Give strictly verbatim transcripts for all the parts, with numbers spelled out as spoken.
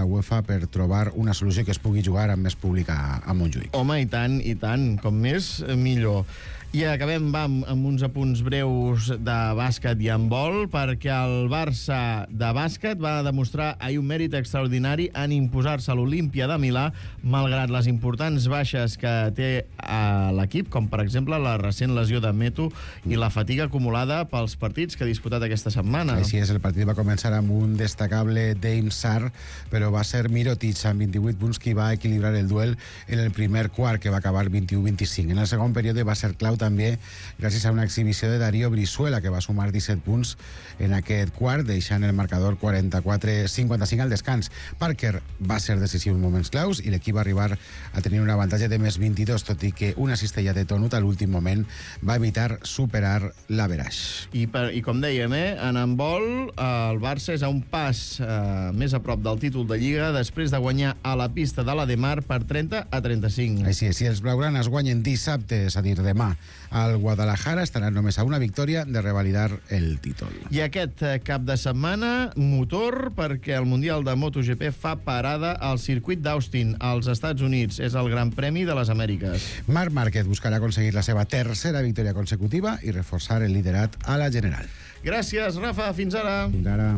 la UEFA per trobar una solució que es pugui jugar amb més públic a, a Montjuïc. Home, i tant, i tant. Com més, millor. I acabem, va, amb, amb uns apunts breus de bàsquet i handbol, perquè el Barça de bàsquet va demostrar ahir un mèrit extraordinari en imposar-se a l'Olímpia de Milà, malgrat les importants baixes que té a l'equip, com per exemple la recent lesió de Meto i la fatiga acumulada pels partits que ha disputat aquesta setmana. Així és, el partit va començar amb un destacable Dame Sarr, però va ser Mirotic amb vint-i-vuit punts qui va equilibrar el duel en el primer quart, que va acabar vint-i-u a vint-i-cinc. En el segon període va ser clau també gràcies a una exhibició de Darío Brizuela, que va sumar disset punts en aquest quart, deixant el marcador quaranta-quatre a cinquanta-cinc al descans. Parker va ser decisiu en moments claus i l'equip va arribar a tenir un avantatge de més vint-i-dos, tot i que una cistella de Tonut a l'últim moment va evitar superar l'averaix. I, per, I com dèiem, eh, en handbol, eh, el Barça és a un pas eh, més a prop del títol de Lliga després de guanyar a la pista de la Demar per trenta a trenta-cinc. Així és, si els blaugranes guanyen dissabte, és a dir, demà, al Guadalajara, estaran només a una victòria de revalidar el títol. I aquest cap de setmana, motor, perquè el Mundial de MotoGP fa parada al circuit d'Austin, als Estats Units. És el Gran Premi de les Amèriques. Marc Márquez buscarà aconseguir la seva tercera victòria consecutiva i reforçar el liderat a la general. Gràcies, Rafa. Fins ara. Fins ara.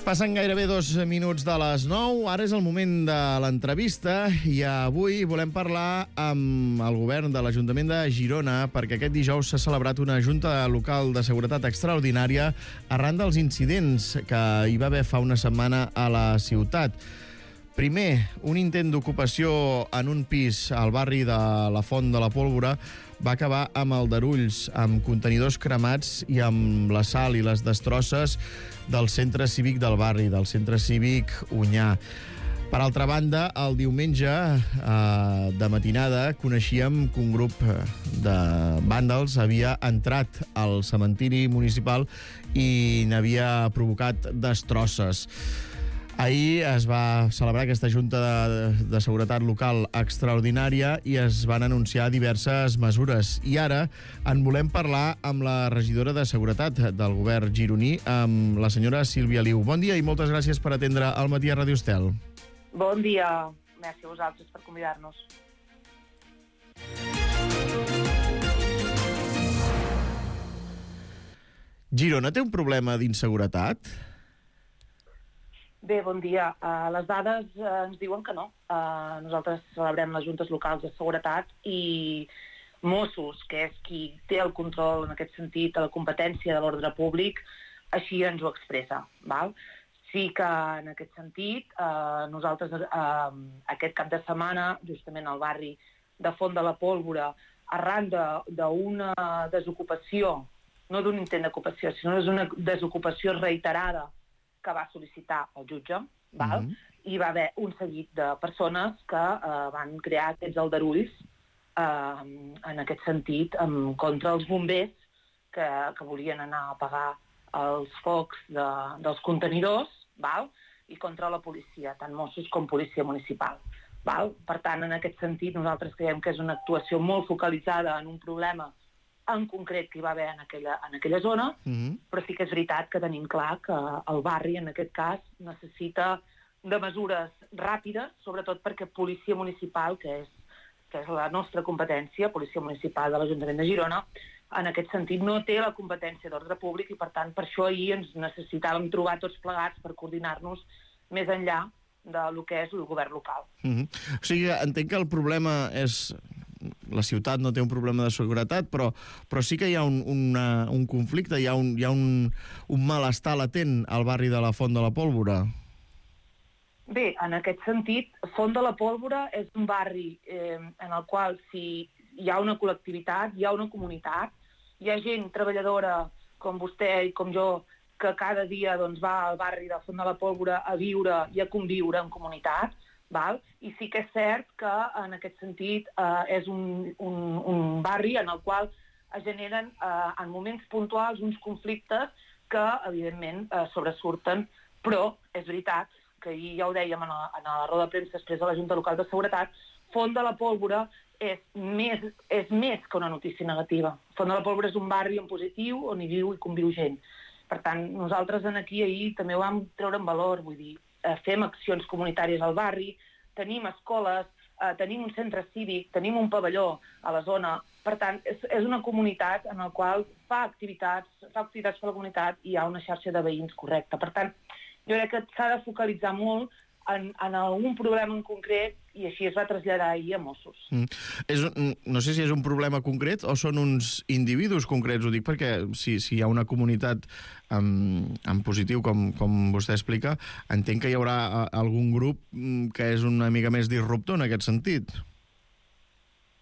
Passen gairebé dos minuts de les nou. Ara és el moment de l'entrevista i avui volem parlar amb el govern de l'Ajuntament de Girona perquè aquest dijous s'ha celebrat una junta local de seguretat extraordinària arran dels incidents que hi va haver fa una setmana a la ciutat. Primer, un intent d'ocupació en un pis al barri de la Font de la Pólvora va acabar amb aldarulls, amb contenidors cremats i amb la sal i les destrosses del centre cívic del barri, del centre cívic Onyar. Per altra banda, el diumenge eh, de matinada coneixíem que un grup de vàndals havia entrat al cementiri municipal i n'havia provocat destrosses. Ahir es va celebrar aquesta Junta de, de Seguretat Local extraordinària i es van anunciar diverses mesures. I ara en volem parlar amb la regidora de Seguretat del govern gironí, amb la senyora Sílvia Liu. Bon dia i moltes gràcies per atendre al Matí a Ràdio Estel. Bon dia. Gràcies a vosaltres per convidar-nos. Girona té un problema d'inseguretat? Bé, bon dia. Uh, les dades uh, ens diuen que no. Uh, nosaltres celebrem les juntes locals de seguretat i Mossos, que és qui té el control en aquest sentit de la competència de l'ordre públic, així ens ho expressa. Val? Sí que en aquest sentit uh, nosaltres uh, aquest cap de setmana, justament al barri de Font de la Pólvora, arran d'una de, desocupació, no d'un intent d'ocupació, sinó d'una desocupació reiterada que va sol·licitar el jutge, val? Mm-hmm. I va haver un seguit de persones que eh, van crear aquests aldarulls eh, en aquest sentit um, contra els bombers que, que volien anar a apagar els focs de, dels contenidors, val? I contra la policia, tant Mossos com policia municipal. Val? Per tant, en aquest sentit, nosaltres creiem que és una actuació molt focalitzada en un problema en concret que hi va haver en aquella, en aquella zona, mm-hmm. però sí que és veritat que tenim clar que el barri, en aquest cas, necessita de mesures ràpides, sobretot perquè policia municipal, que és, que és la nostra competència, policia municipal de l'Ajuntament de Girona, en aquest sentit no té la competència d'ordre públic i, per tant, per això ahir ens necessitàvem trobar tots plegats per coordinar-nos més enllà del que és el govern local. Mm-hmm. O sigui, entenc que el problema és... La ciutat no té un problema de seguretat, però, però sí que hi ha un, una, un conflicte, hi ha, un, hi ha un, un malestar latent al barri de la Font de la Pólvora. Bé, en aquest sentit, Font de la Pólvora és un barri eh, en el qual si hi ha una col·lectivitat, hi ha una comunitat, hi ha gent treballadora com vostè i com jo que cada dia doncs, va al barri de Font de la Pólvora a viure i a conviure en comunitat, val? I sí que és cert que en aquest sentit eh, és un, un, un barri en el qual es generen eh, en moments puntuals uns conflictes que evidentment eh, sobresurten, però és veritat que ahir ja ho dèiem en la, en la roda de premsa després de la Junta Local de Seguretat, Font de la Pólvora és més, és més que una notícia negativa. Font de la Pólvora és un barri en positiu on hi viu i conviu gent. Per tant, nosaltres en aquí ahir també ho vam treure en valor, vull dir, eh, fem accions comunitàries al barri, tenim escoles, eh, tenim un centre cívic, tenim un pavelló a la zona. Per tant, és, és una comunitat en la qual fa activitats, fa activitats per la comunitat i hi ha una xarxa de veïns correcta. Per tant, jo crec que s'ha de focalitzar molt en, en algun problema en concret i així es va traslladar ahir a Mossos. Mm. És, no sé si és un problema concret o són uns individus concrets, ho dic perquè si, si hi ha una comunitat en, en positiu, com, com vostè explica, entenc que hi haurà algun grup que és una mica més disruptor en aquest sentit.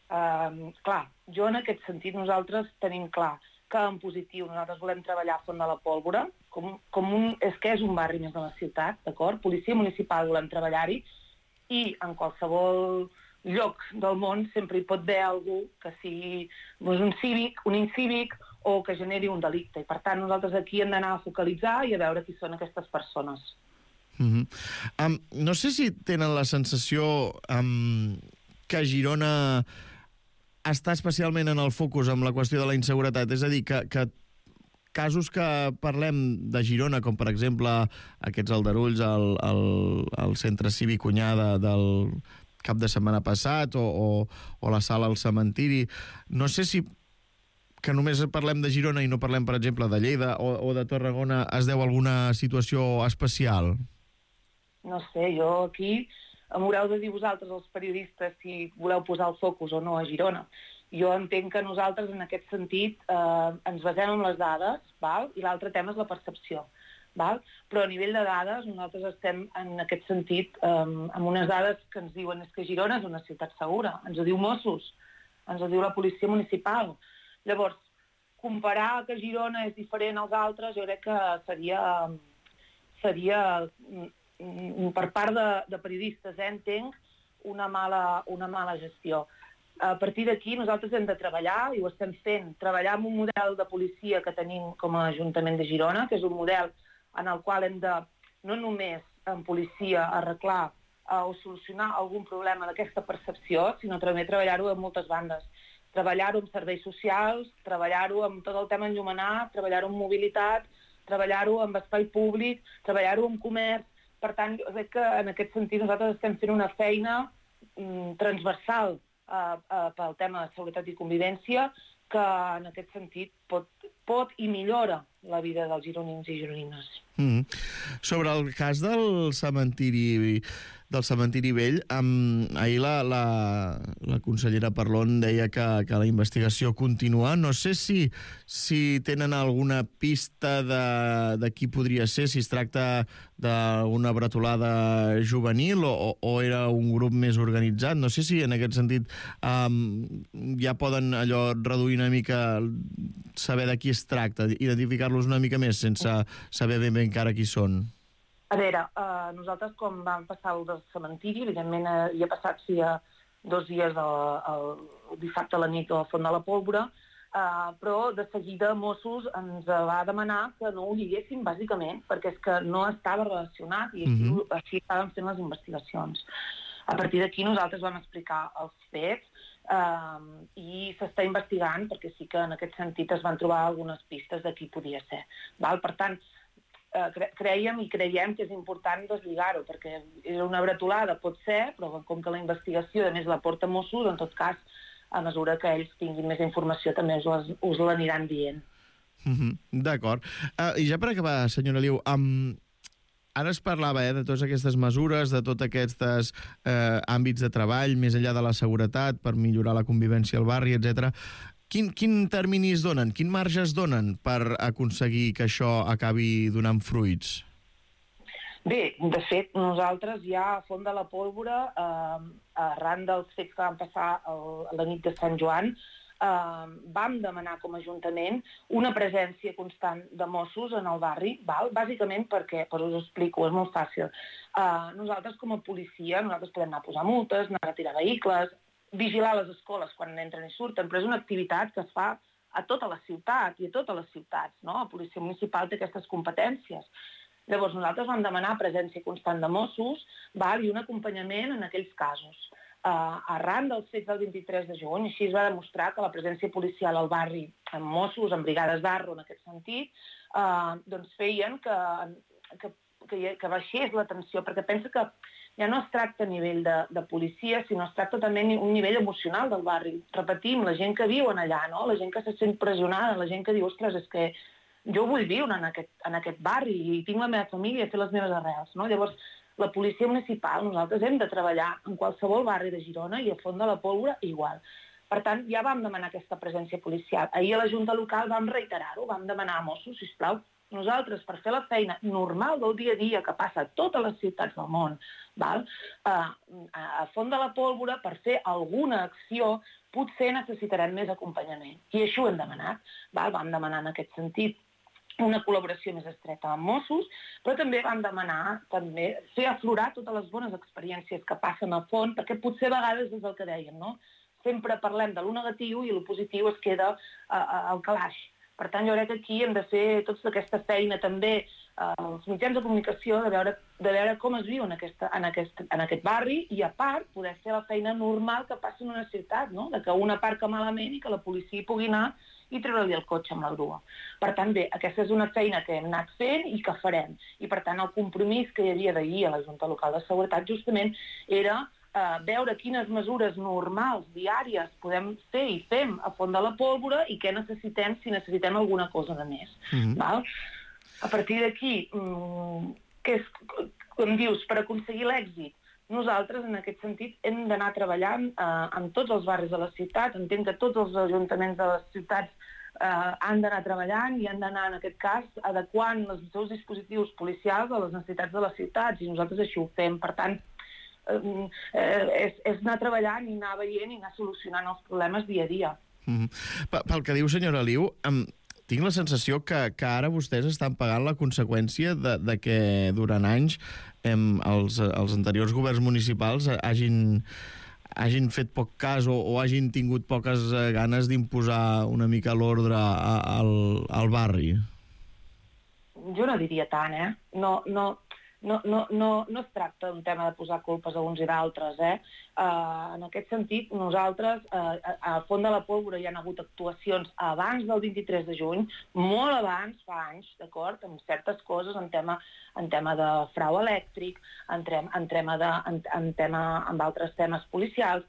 Uh, clar, jo en aquest sentit nosaltres tenim clar que en positiu nosaltres volem treballar a Font de la Pólvora, com, com un, és que és un barri més de la ciutat, d'acord? Policia municipal volem treballar-hi i en qualsevol lloc del món sempre hi pot haver algú que sigui doncs, un cívic, un incívic o que generi un delicte. I per tant nosaltres aquí hem d'anar a focalitzar i a veure qui són aquestes persones. Mm-hmm. um, no sé si tenen la sensació um, que Girona està especialment en el focus amb la qüestió de la inseguretat, és a dir, que, que casos que parlem de Girona, com per exemple aquests aldarulls al, al, al centre cívic Cunyada del cap de setmana passat o, o, o la sala al cementiri, no sé si que només parlem de Girona i no parlem, per exemple, de Lleida o, o de Tarragona, es deu a alguna situació especial? No sé, jo aquí m'haureu de dir vosaltres, els periodistes, si voleu posar el focus o no a Girona. Jo entenc que nosaltres, en aquest sentit, eh, ens basem en les dades, val? I l'altre tema és la percepció. Val? Però a nivell de dades, nosaltres estem, en aquest sentit, eh, amb unes dades que ens diuen és que Girona és una ciutat segura. Ens ho diu Mossos, ens ho diu la policia municipal. Llavors, comparar que Girona és diferent als altres, jo crec que seria... seria per part de, de periodistes, eh, entenc, una mala, una mala gestió. A partir d'aquí nosaltres hem de treballar, i ho estem fent, treballar amb un model de policia que tenim com a Ajuntament de Girona, que és un model en el qual hem de, no només en policia, arreglar eh, o solucionar algun problema d'aquesta percepció, sinó també treballar-ho en moltes bandes. Treballar-ho amb serveis socials, treballar-ho amb tot el tema enllumenat, treballar-ho amb mobilitat, treballar-ho amb espai públic, treballar-ho amb comerç. Per tant, jo crec que en aquest sentit nosaltres estem fent una feina mm, transversal eh, eh, pel tema de seguretat i convivència que en aquest sentit pot, pot i millora la vida dels gironins i gironines. Mm. Sobre el cas del cementiri del cementiri vell, um, ahir la, la, la consellera Parlon deia que, que la investigació continua. No sé si, si tenen alguna pista de, de qui podria ser, si es tracta d'una bretolada juvenil o, o era un grup més organitzat. No sé si en aquest sentit um, ja poden allò reduir una mica, saber de qui es tracta, identificar-los una mica més sense saber ben bé encara qui són. A veure, eh, nosaltres quan vam passar el del cementiri, evidentment eh, hi ha passat sí, dos dies el, el, el dissabte a la nit a la Font de la Pólvora, eh, però de seguida Mossos ens va demanar que no ho lliguéssim, bàsicament, perquè és que no estava relacionat i així, mm-hmm. així estàvem fent les investigacions. A partir d'aquí nosaltres vam explicar els fets eh, i s'està investigant perquè sí que en aquest sentit es van trobar algunes pistes de qui podia ser. Val? Per tant, cre creiem i creiem que és important deslligar-ho, perquè és una bretolada, pot ser, però com que la investigació a més la porta Mossos, en tot cas, a mesura que ells tinguin més informació també us, us l'aniran dient. Mm-hmm. D'acord. Uh, I ja per acabar, senyora Liu, um, ara es parlava eh, de totes aquestes mesures, de tots aquests eh, àmbits de treball, més enllà de la seguretat, per millorar la convivència al barri, etcètera. Quin, quin termini es donen? Quin marge es donen per aconseguir que això acabi donant fruits? Bé, de fet, nosaltres ja a Font de la Pólvora, eh, arran dels fets que van passar el, a la nit de Sant Joan, eh, vam demanar com a Ajuntament una presència constant de Mossos en el barri, val? Bàsicament perquè, per us ho explico, és molt fàcil. Eh, nosaltres com a policia, nosaltres podem anar a posar multes, anar a retirar vehicles, vigilar les escoles quan entren i surten, però és una activitat que es fa a tota la ciutat i a totes les ciutats, no? La policia municipal té aquestes competències. Llavors, nosaltres vam demanar presència constant de Mossos, val, i un acompanyament en aquells casos. Uh, arran dels fets del vint-i-tres de juny, així es va demostrar que la presència policial al barri, amb Mossos, amb brigades d'Arro en aquest sentit, uh, doncs feien que, que, que, que baixés la tensió, perquè pensa que ja no es tracta a nivell de, de policia, sinó es tracta també a un nivell emocional del barri. Repetim, la gent que viu allà, no? La gent que se sent pressionada, la gent que diu, ostres, és que jo vull viure en aquest, en aquest barri i tinc la meva família i fer les meves arrels, no? Llavors, la policia municipal, nosaltres hem de treballar en qualsevol barri de Girona i a Font de la Pólvora igual. Per tant, ja vam demanar aquesta presència policial. Ahir a la Junta Local vam reiterar-ho, vam demanar a Mossos, sisplau, nosaltres, per fer la feina normal del dia a dia que passa a totes les ciutats del món, val? A Font de la Pólvora, per fer alguna acció, potser necessitarem més acompanyament. I això ho hem demanat. Val? Vam demanar en aquest sentit una col·laboració més estreta amb Mossos, però també vam demanar també fer aflorar totes les bones experiències que passen a Font, perquè potser a vegades és el que dèiem, no? Sempre parlem de lo negatiu i lo positiu es queda uh, al calaix. Per tant, jo crec que aquí hem de fer tota aquesta feina també als uh, mitjans de comunicació de veure, de veure com es viu en, aquesta, en, aquest, en aquest barri i, a part, poder fer la feina normal que passa en una ciutat, no? De que una aparca malament i que la policia pugui anar i treure-li el cotxe amb la grua. Per tant, bé, aquesta és una feina que hem anat fent i que farem. I, per tant, el compromís que hi havia d'ahir a la Junta Local de Seguretat justament era eh, veure quines mesures normals, diàries, podem fer i fem a Font de la Pólvora i què necessitem si necessitem alguna cosa de més. Mm-hmm. Val? A partir d'aquí, mmm, què és, com dius, per aconseguir l'èxit, nosaltres, en aquest sentit, hem d'anar treballant eh, en tots els barris de la ciutat. Entenc que tots els ajuntaments de les ciutats eh, han d'anar treballant i han d'anar, en aquest cas, adequant els seus dispositius policials a les necessitats de les ciutats, i nosaltres així ho fem. Per tant, eh, és, és anar treballant i anar veient i anar solucionant els problemes dia a dia. Mm-hmm. Pel que diu, senyora Liu, um, tinc la sensació que, que ara vostès estan pagant la conseqüència de, de que durant anys em, els, els anteriors governs municipals hagin, hagin fet poc cas o, o hagin tingut poques ganes d'imposar una mica l'ordre al, al barri. Jo no diria tant, eh? No, no, no, no, no, no es tracta d'un tema de posar culpes a uns i d'altres, eh? Uh, en aquest sentit, nosaltres, uh, a Font de la Pólvora hi ha hagut actuacions abans del vint-i-tres de juny, molt abans, fa anys, d'acord, amb certes coses en tema, en tema de frau elèctric, en, trem, en, tema de, en, en tema amb altres temes policials.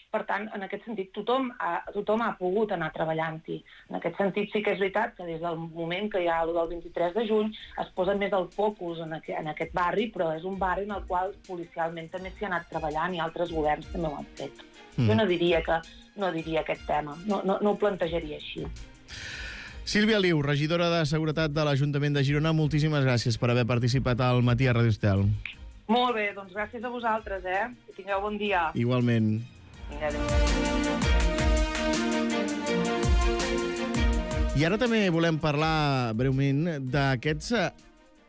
Per tant, en aquest sentit, tothom ha, tothom ha pogut anar treballant-hi. En aquest sentit, sí que és veritat que des del moment que hi ha el del vint-i-tres de juny es posa més el focus en aquest, en aquest barri, però és un barri en el qual policialment també s'hi ha anat treballant i altres governs també ho han fet. Mm. Jo no diria, que, no diria aquest tema, no, no, no ho plantejaria així. Sílvia Liu, regidora de Seguretat de l'Ajuntament de Girona, moltíssimes gràcies per haver participat al Matí a Radio Estel. Molt bé, doncs gràcies a vosaltres, eh? Que tingueu bon dia. Igualment. I ara també volem parlar breument d'aquests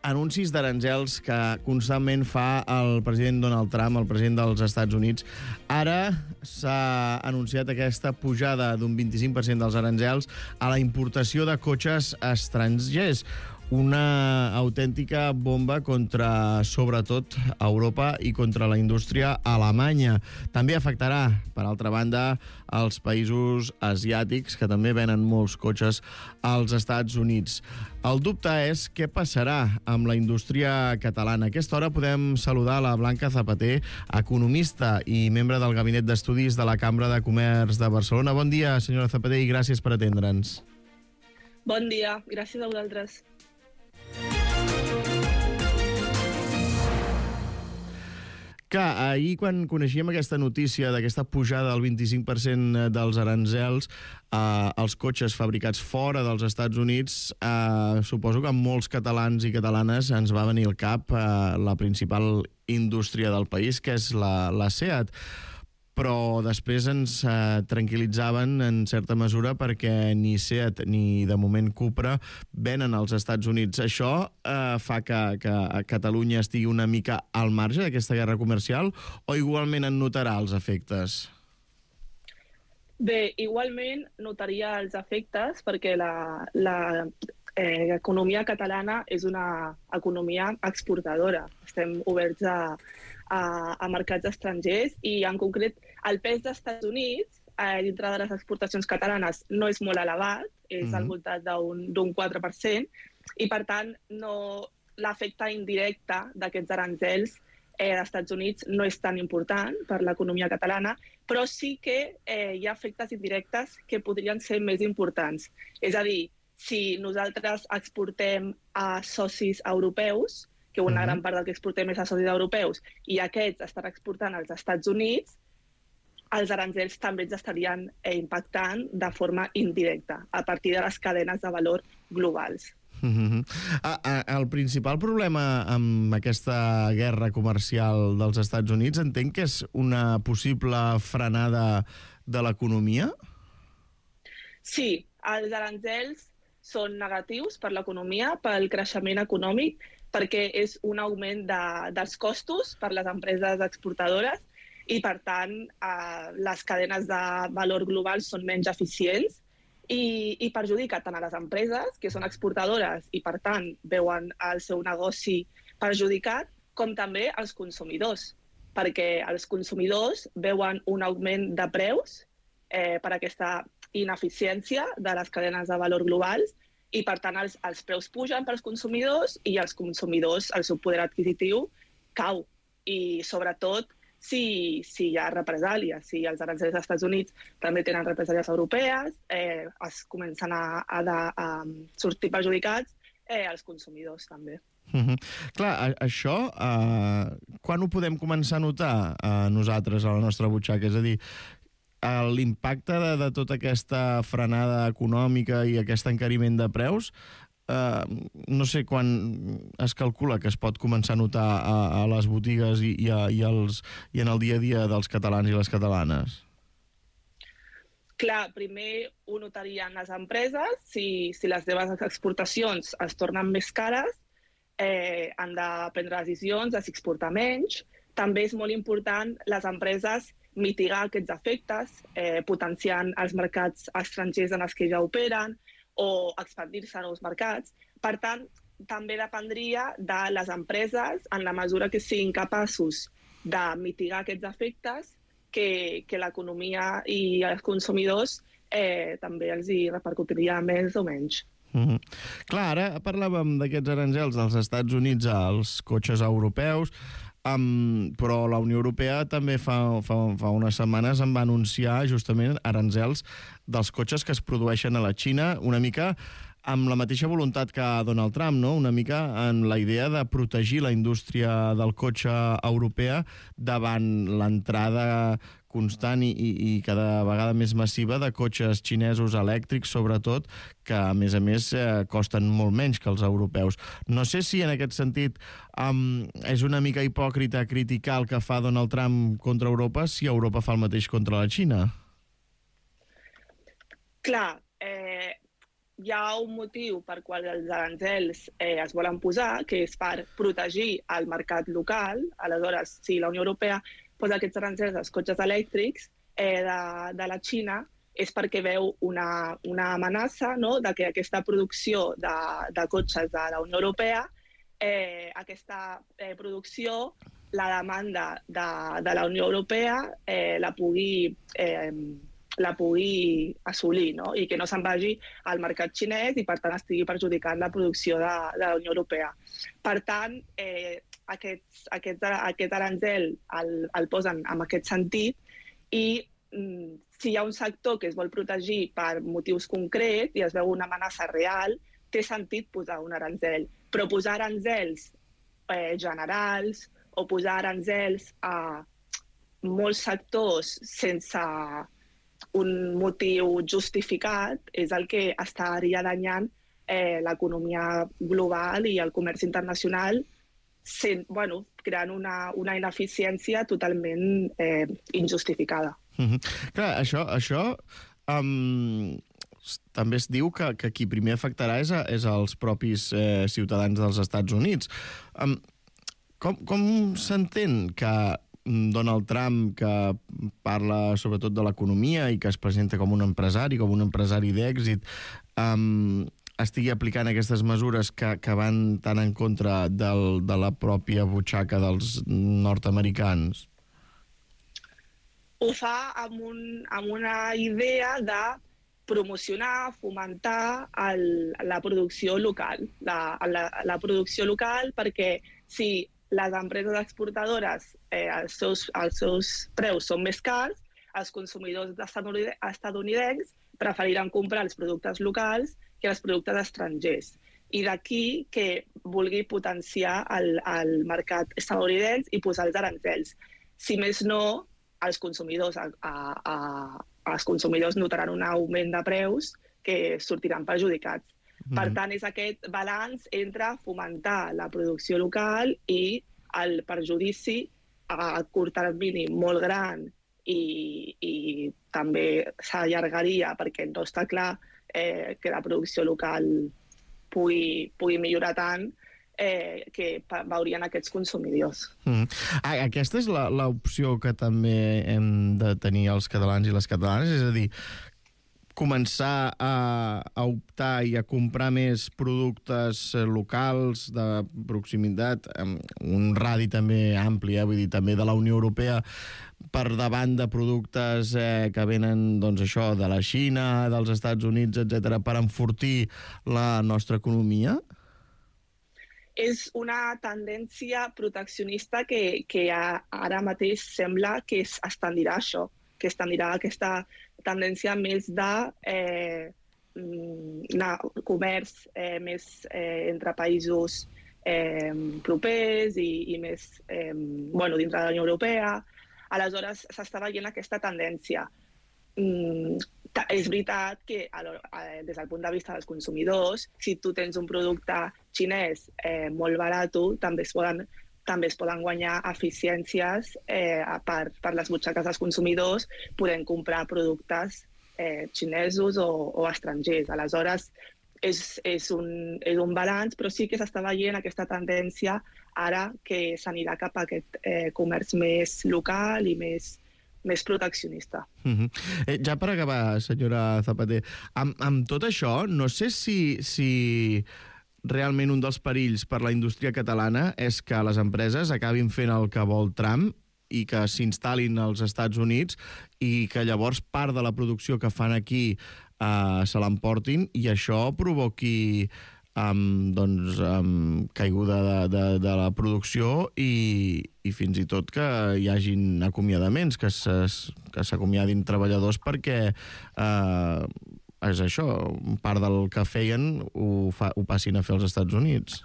anuncis d'aranzels que constantment fa el president Donald Trump, el president dels Estats Units. Ara s'ha anunciat aquesta pujada d'un vint-i-cinc per cent dels aranzels a la importació de cotxes estrangers. Una autèntica bomba contra, sobretot, Europa i contra la indústria alemanya. També afectarà, per altra banda, els països asiàtics, que també venen molts cotxes als Estats Units. El dubte és què passarà amb la indústria catalana. A aquesta hora podem saludar la Blanca Zapater, economista i membre del Gabinet d'Estudis de la Cambra de Comerç de Barcelona. Bon dia, senyora Zapater, i gràcies per atendre'ns. Bon dia, gràcies a vosaltres. Que ahir, quan coneixíem aquesta notícia d'aquesta pujada del vint-i-cinc per cent dels aranzels eh, als cotxes fabricats fora dels Estats Units, eh, suposo que a molts catalans i catalanes ens va venir al cap eh, la principal indústria del país, que és la, la SEAT. Però després ens eh, tranquil·litzaven en certa mesura perquè ni SEAT ni, de moment, Cupra venen als Estats Units. Això eh, fa que, que Catalunya estigui una mica al marge d'aquesta guerra comercial o igualment en notarà els efectes? Bé, igualment notaria els efectes perquè la, la, eh, l'economia catalana és una economia exportadora. Estem oberts a, a, a mercats estrangers i, en concret, el pes dels Estats Units eh, dintre de les exportacions catalanes no és molt elevat, és mm-hmm. al voltant d'un quatre per cent, i, per tant, no, l'efecte indirecte d'aquests aranzels eh, dels Estats Units no és tan important per l'economia catalana, però sí que eh, hi ha efectes indirectes que podrien ser més importants. És a dir, si nosaltres exportem a socis europeus, que una gran part del que exportem és a socis europeus, i aquests estan exportant als Estats Units, els aranzels també ens estarien eh, impactant de forma indirecta, a partir de les cadenes de valor globals. Mm-hmm. El principal problema amb aquesta guerra comercial dels Estats Units entenc que és una possible frenada de l'economia? Sí, els aranzels són negatius per l'economia, pel creixement econòmic, perquè és un augment de, dels costos per les empreses exportadores i, per tant, eh, les cadenes de valor global són menys eficients i, i perjudica tant a les empreses, que són exportadores i, per tant, veuen el seu negoci perjudicat, com també als consumidors, perquè els consumidors veuen un augment de preus eh, per aquesta ineficiència de les cadenes de valor globals i, per tant, els, els preus pugen pels consumidors i els consumidors, el seu poder adquisitiu, cau. I, sobretot, si, si hi ha represàlies, si els aranzels dels Estats Units també tenen represàlies europees, eh, es comencen a, a, a, a sortir perjudicats eh, els consumidors també. Mm-hmm. Clar, a, això, eh, quan ho podem començar a notar eh, nosaltres a la nostra butxaca? És a dir, l'impacte de, de tota aquesta frenada econòmica i aquest encariment de preus, eh, no sé quan es calcula que es pot començar a notar a, a les botigues i, i, a, i, als, i en el dia a dia dels catalans i les catalanes. Clar, primer ho notarien les empreses, si, si les seves exportacions es tornen més cares, eh, han de prendre decisions de si exportar menys. També és molt important les empreses mitigar aquests efectes, eh, potenciant els mercats estrangers en els que ja operen o expandir-se a nous mercats. Per tant, també dependria de les empreses, en la mesura que siguin capaços de mitigar aquests efectes, que, que l'economia i els consumidors eh, també els hi repercutiria més o menys. Mm-hmm. Clar, ara parlàvem d'aquests aranzels dels Estats Units als cotxes europeus, Um, però la Unió Europea també fa, fa, fa unes setmanes en va anunciar justament aranzels dels cotxes que es produeixen a la Xina, una mica amb la mateixa voluntat que Donald Trump, no? Una mica en la idea de protegir la indústria del cotxe europea davant l'entrada constant i, i, i cada vegada més massiva de cotxes xinesos elèctrics, sobretot, que, a més a més, eh, costen molt menys que els europeus. No sé si, en aquest sentit, um, és una mica hipòcrita criticar el que fa Donald Trump contra Europa si Europa fa el mateix contra la Xina. Clar, eh, hi ha un motiu per qual els aranzels eh, es volen posar, que és per protegir el mercat local. Aleshores, si la Unió Europea posa aquests aranzels als cotxes elèctrics eh, de, de la Xina, és perquè veu una, una amenaça, no?, de que aquesta producció de, de cotxes de la Unió Europea, eh, aquesta eh, producció, la demanda de, de la Unió Europea eh, la pugui... Eh, la pugui assolir, no? I que no se'n vagi al mercat xinès i, per tant, estigui perjudicant la producció de, de la Unió Europea. Per tant, eh, aquest, aquest, aquest aranzel el, el posen en aquest sentit i mm, si hi ha un sector que es vol protegir per motius concrets i es veu una amenaça real, té sentit posar un aranzel. Però posar aranzels eh, generals o posar aranzels a molts sectors sense un motiu justificat és el que estaria danyant eh, l'economia global i el comerç internacional, sent, bueno, creant una, una ineficiència totalment eh, injustificada. Mm-hmm. Clar, això, això um, també es diu que, que qui primer afectarà és, a, és als propis eh, ciutadans dels Estats Units. Um, com com s'entén que Donald Trump, que parla sobretot de l'economia i que es presenta com un empresari, com un empresari d'èxit, um, estigui aplicant aquestes mesures que, que van tan en contra del, de la pròpia butxaca dels nord-americans? Ho fa amb, un, amb una idea de promocionar, fomentar el, la producció local. La, la, la producció local perquè si les empreses exportadores eh, els, seus, els seus preus són més cars, els consumidors estadounidencs preferiran comprar els productes locals que els productes estrangers. I d'aquí que vulgui potenciar el, el mercat estadounidenc i posar els aranzels. Si més no, els consumidors, a, a, a, els consumidors notaran un augment de preus que sortiran perjudicats. Mm. Per tant, és aquest balanç entre fomentar la producció local i el perjudici a curt termini molt gran i, i també s'allargaria perquè no està clar eh, que la producció local pugui, pugui millorar tant Eh, que veurien aquests consumidors. Mm. Aquesta és l'opció que també hem de tenir els catalans i les catalanes, és a dir, començar a, a optar i a comprar més productes locals de proximitat, amb un radi també ampli, eh? Vull dir, també de la Unió Europea, per davant de productes eh, que venen, doncs això, de la Xina, dels Estats Units, etcètera, per enfortir la nostra economia? És una tendència proteccionista que, que ara mateix sembla que es tendirà això, que es tendirà aquesta tendència més de eh, comerç eh, més eh, entre països eh, propers i, i més eh, bueno, dintre de la Unió Europea. Aleshores, s'està veient aquesta tendència. Mm, és veritat que des del punt de vista dels consumidors, si tu tens un producte xinès eh, molt barat, també es poden, també es poden guanyar eficiències eh, per, per les butxaques dels consumidors, podent comprar productes eh, xinesos o, o estrangers. Aleshores, és, és, un, és un balanç, però sí que s'està veient aquesta tendència ara que s'anirà cap a aquest eh, comerç més local i més més proteccionista. Uh-huh. eh, ja per acabar, senyora Zapater, amb, amb tot això, no sé si, si realment un dels perills per la indústria catalana és que les empreses acabin fent el que vol Trump i que s'instal·lin als Estats Units i que llavors part de la producció que fan aquí eh, se l'emportin i això provoqui Um, doncs, um, caiguda de, de, de la producció i, i fins i tot que hi hagin acomiadaments, que s'acomiadin treballadors perquè uh, és això, part del que feien ho, fa, ho passin a fer als Estats Units.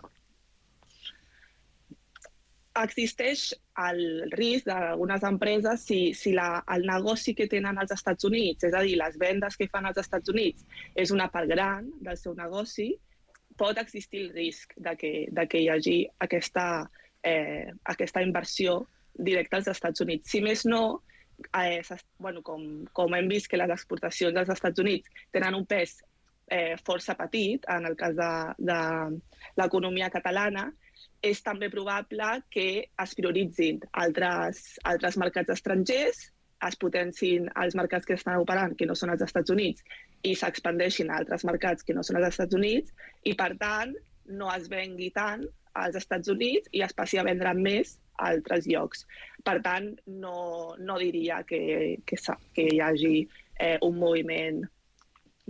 Existeix el risc d'algunes empreses si, si la, el negoci que tenen als Estats Units, és a dir, les vendes que fan als Estats Units, és una part gran del seu negoci, pot existir el risc de que, de que hi hagi aquesta, eh, aquesta inversió directa als Estats Units. Si més no, eh, bueno, com, com hem vist que les exportacions dels Estats Units tenen un pes eh, força petit, en el cas de, de l'economia catalana, és també probable que es prioritzin altres, altres mercats estrangers, es potencin els mercats que estan operant, que no són els Estats Units, i s'expandeixin a altres mercats que no són els Estats Units, i per tant no es vengui tant als Estats Units i es passi a vendre més a altres llocs. Per tant, no, no diria que, que, que hi hagi eh, un moviment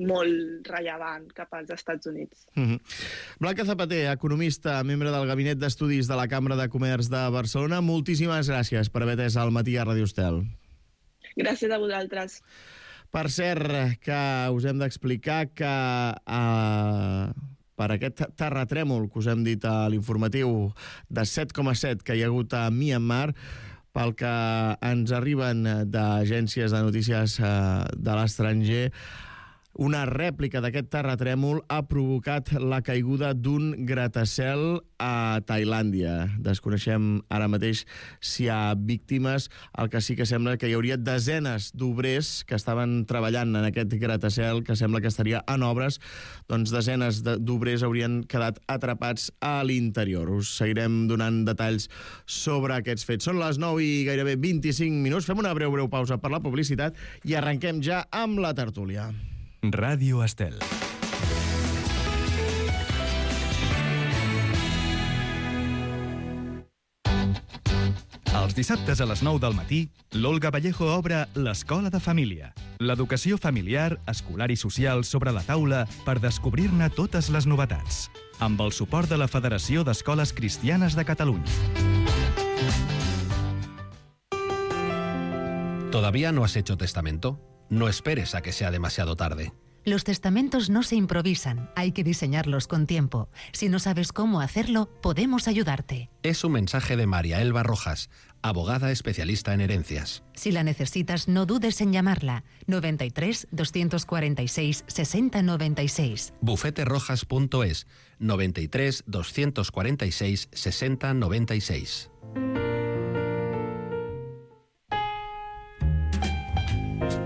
molt rellevant cap als Estats Units. Mm-hmm. Blanca Zapater, economista, membre del Gabinet d'Estudis de la Cambra de Comerç de Barcelona, moltíssimes gràcies per haver atès al matí a Ràdio Estel. Gràcies a vosaltres. Per cert, que us hem d'explicar que eh, per aquest terratrèmol que us hem dit a l'informatiu de set coma set que hi ha hagut a Myanmar, pel que ens arriben d'agències de notícies eh, de l'estranger, una rèplica d'aquest terratrèmol ha provocat la caiguda d'un gratacel a Tailàndia. Desconeixem ara mateix si hi ha víctimes. El que sí que sembla que hi hauria desenes d'obrers que estaven treballant en aquest gratacel, que sembla que estaria en obres. Doncs desenes d'obrers haurien quedat atrapats a l'interior. Us seguirem donant detalls sobre aquests fets. Són les nou i gairebé vint-i-cinc minuts. Fem una breu, breu pausa per la publicitat i arrenquem ja amb la tertúlia. Ràdio Estel. Els dissabtes a les nou del matí, l'Olga Vallejo obre l'Escola de Família. L'educació familiar, escolar i social sobre la taula per descobrir-ne totes les novetats. Amb el suport de la Federació d'Escoles Cristianes de Catalunya. ¿Todavía no has hecho testamento? No esperes a que sea demasiado tarde. Los testamentos no se improvisan, hay que diseñarlos con tiempo. Si no sabes cómo hacerlo, podemos ayudarte. Es un mensaje de María Elba Rojas, abogada especialista en herencias. Si la necesitas, no dudes en llamarla. noventa y tres, doscientos cuarenta y seis, sesenta noventa y seis. bufete rojas punto es, noventa y tres, doscientos cuarenta y seis, sesenta noventa y seis.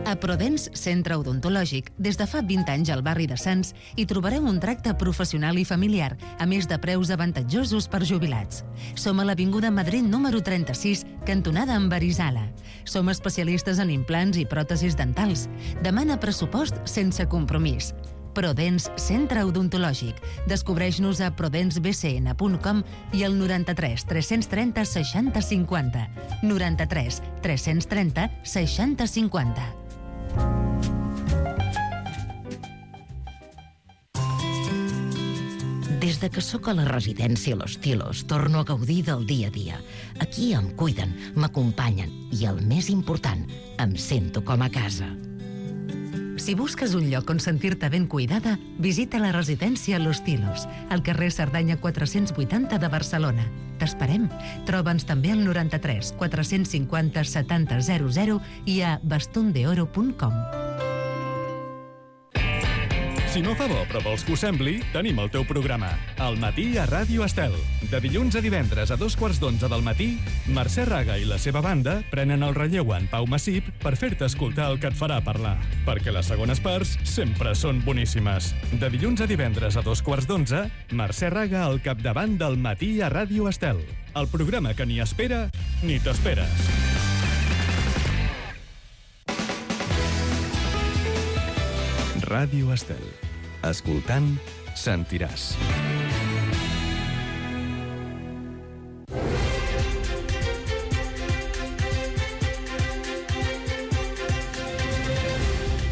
A Prodens Centre Odontològic, des de fa vint anys al barri de Sants, hi trobareu un tracte professional i familiar, a més de preus avantatjosos per jubilats. Som a l'Avinguda Madrid número trenta-sis, cantonada amb Arizala. Som especialistes en implants i pròtesis dentals. Demana pressupost sense compromís. Prodens Centre Odontològic. Descobreix-nos a prodens b c n punt com i al noranta-tres, tres-cents trenta, seixanta cinquanta. noranta-tres, tres-cents trenta, seixanta cinquanta. Des de que sóc a la residència Los Tilos, torno a gaudir del dia a dia. Aquí em cuiden, m'acompanyen i, el més important, em sento com a casa. Si busques un lloc on sentir-te ben cuidada, visita la residència Los Tilos, al carrer Cerdanya quatre-cents vuitanta de Barcelona. T'esperem. Troba'ns també al noranta-tres, quatre-cents cinquanta, setanta, zero zero i a bastondeoro punt com. Si no fa bo però vols que ho sembli, tenim el teu programa. Al matí a Ràdio Estel. De dilluns a divendres a dos quarts d'onze del matí, Mercè Raga i la seva banda prenen el relleu en Pau Massip per fer-te escoltar el que et farà parlar. Perquè les segones parts sempre són boníssimes. De dilluns a divendres a dos quarts d'onze, Mercè Raga al capdavant del matí a Ràdio Estel. El programa que ni espera ni t'esperes. Ràdio Estel. Escoltant, sentiràs.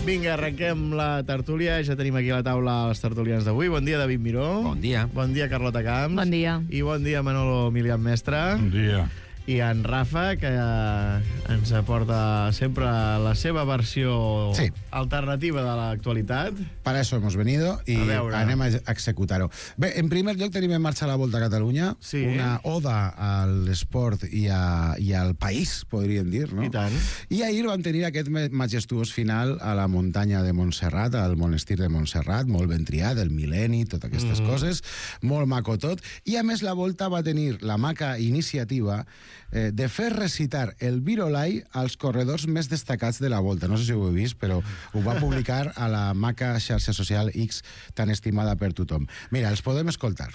Vinga, arrenquem la tertúlia. Ja tenim aquí a la taula els tertulians d'avui. Bon dia, David Miró. Bon dia. Bon dia, Carlota Camps. Bon dia. I bon dia, Manolo Milian Mestre. Bon dia. I en Rafa, que ens aporta sempre la seva versió sí. alternativa de l'actualitat. Para eso hemos venido y anem a executar-ho. Bé, en primer lloc tenim en marxa la Volta a Catalunya, sí. una oda a l'esport i, a, i al país, podríem dir, no? I tant. I ahir van tenir aquest majestuós final a la muntanya de Montserrat, al monestir de Montserrat, molt ben triat, el mil·lenni, totes aquestes mm. coses, molt maco tot. I a més la Volta va tenir la maca iniciativa eh, de fer recitar el Virolai als corredors més destacats de la Volta. No sé si ho heu vist, però ho va publicar a la maca xarxa social X tan estimada per tothom. Mira, els podem escoltar.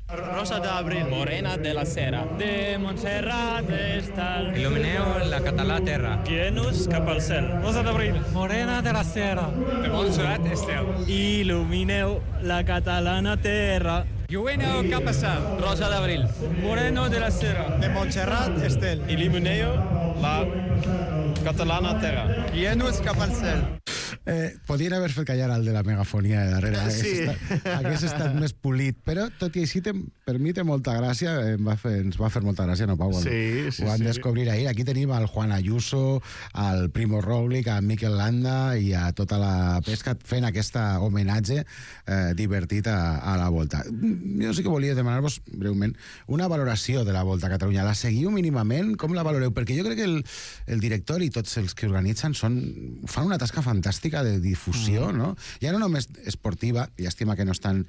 Rosa d'Abril, Morena de la Cera, de Montserrat Estel. Il·lumineu la català terra. Guieu-nos cap al cel. Rosa d'Abril, Morena de la Cera, de Montserrat Estel. Il·lumineu la catalana terra. Llueneu cap al cel. Rosa d'Abril, Moreno de la Cera, de Montserrat Estel. Il·lumineu la catalana terra. Guieu-nos cap al cel. Eh, podien haver fet callar el de la megafonia de darrere. Sí. Estat, hagués estat més polit, però tot i així, te, per mi té molta gràcia, em va fer, ens va fer molta gràcia, no, Pau? Sí, sí, ho van sí. descobrir ahir. Aquí tenim al Juan Ayuso, al Primo Roglic, a Mikel Landa i a tota la pesca fent aquesta homenatge eh, divertit a, a la Volta. Jo sí que volia demanar-vos, breument, una valoració de la Volta a Catalunya. La seguiu mínimament? Com la valoreu? Perquè jo crec que el, el director i tots els que organitzen són, fan una tasca fantàstica de difusió, mm. no? Ja no només esportiva, llàstima que no estan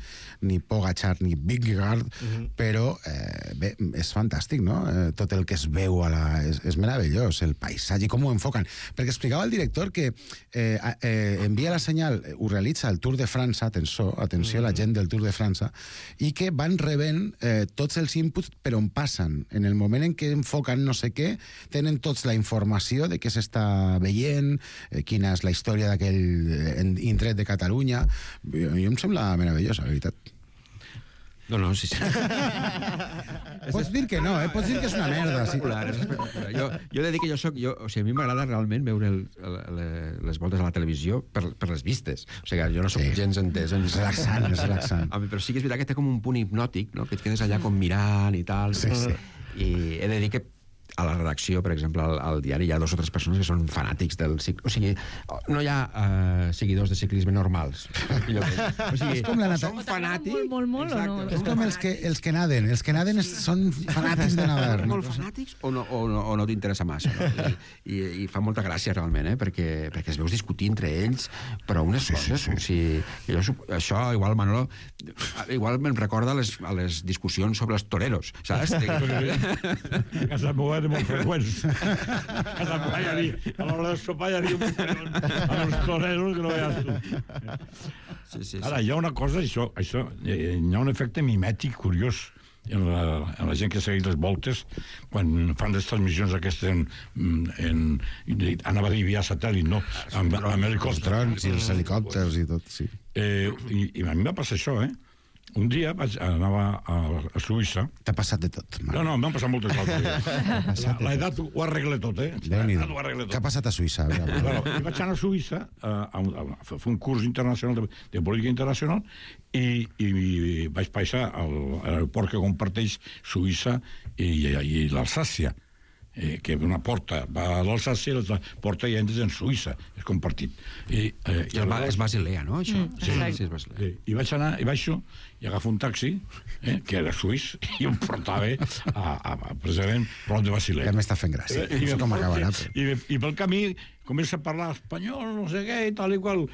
ni Pogacar ni Vingegaard, mm. però eh, bé, és fantàstic, no? Eh, tot el que es veu a la... És, és meravellós, el paisatge, com ho enfoquen. Perquè explicava el director que eh, eh, envia la senyal, ho realitza el Tour de França, atenció, atenció mm. a la gent del Tour de França, i que van rebent eh, tots els inputs per on passen. En el moment en què enfoquen no sé què, tenen tots la informació de què s'està veient, eh, quina és la història d'aquell indret de Catalunya. Jo, jo em sembla meravellós, la veritat. No, no, sí, sí. Pots dir que no, eh? Pots dir que és una merda. Sí. És espectacular. Jo, jo he de dir que jo soc... Jo, o sigui, a mi m'agrada realment veure el, el, les voltes a la televisió per, per les vistes. O sigui, jo no soc sí. gens entès. En... És relaxant, és relaxant. Home, però sí que és veritat que té com un punt hipnòtic, no? Que et quedes allà com mirant i tal. Sí, sí. I he de dir que a la redacció, per exemple, al, al diari, hi ha dos o tres persones que són fanàtics del ciclisme. O sigui, no hi ha uh, seguidors de ciclisme normals. O sigui, és com la nata... són fanàtics... Molt, molt, molt, exacte, o no? És com els que, els que naden. Els que naden és, són fanàtics de nadar. Molt fanàtics o no, o no, o no t'interessa massa. No? I, i, I fa molta gràcia, realment, eh? perquè, perquè es veus discutir entre ells, però unes sí, coses... Sí, sí. O sigui, jo, això, igual, Manolo, igual me'n recorda a les, a les discussions sobre els toreros, saps? A casa meva era molt freqüents. A casa meva hi havia, a l'hora de sopar hi havia un a els toreros que no veies tu. Sí, sí, sí. Ara, hi ha una cosa, això, això, hi ha un efecte mimètic curiós en la, en la gent que segueix les voltes quan fan les transmissions aquestes en, en, anava a dir via satèl·lit, no? Amb, amb helicòpters. I els helicòpters i tot, sí. Eh, i, I a mi va passar això, eh? Un dia vaig, anava a, a Suïssa. T'ha passat de tot, Marc. No, no, m'han passat moltes coses. L'edat ho arregla tot, eh? Déu-n'hi-do. Què ha passat a Suïssa? Bueno, vaig anar a Suïssa a, a, a fer un curs internacional de, de política internacional i, i vaig passar al aeroport que comparteix Suïssa i, i, i l'Alsàcia. Eh, que una porta va a l'Alsàcia i la porta i entres en Suïssa, és compartit. I, eh, I el és Basilea, no, això? Mm, sí, sí, sí, és Basilea. Sí. I vaig anar, i baixo, i agafo un taxi, eh, que era suís, i em portava a, a, a precisament prop de Basilea. Ja m'està fent gràcia. I, no sé com acabarà. I, i, I pel camí comença a parlar espanyol, no sé què, i tal i qual.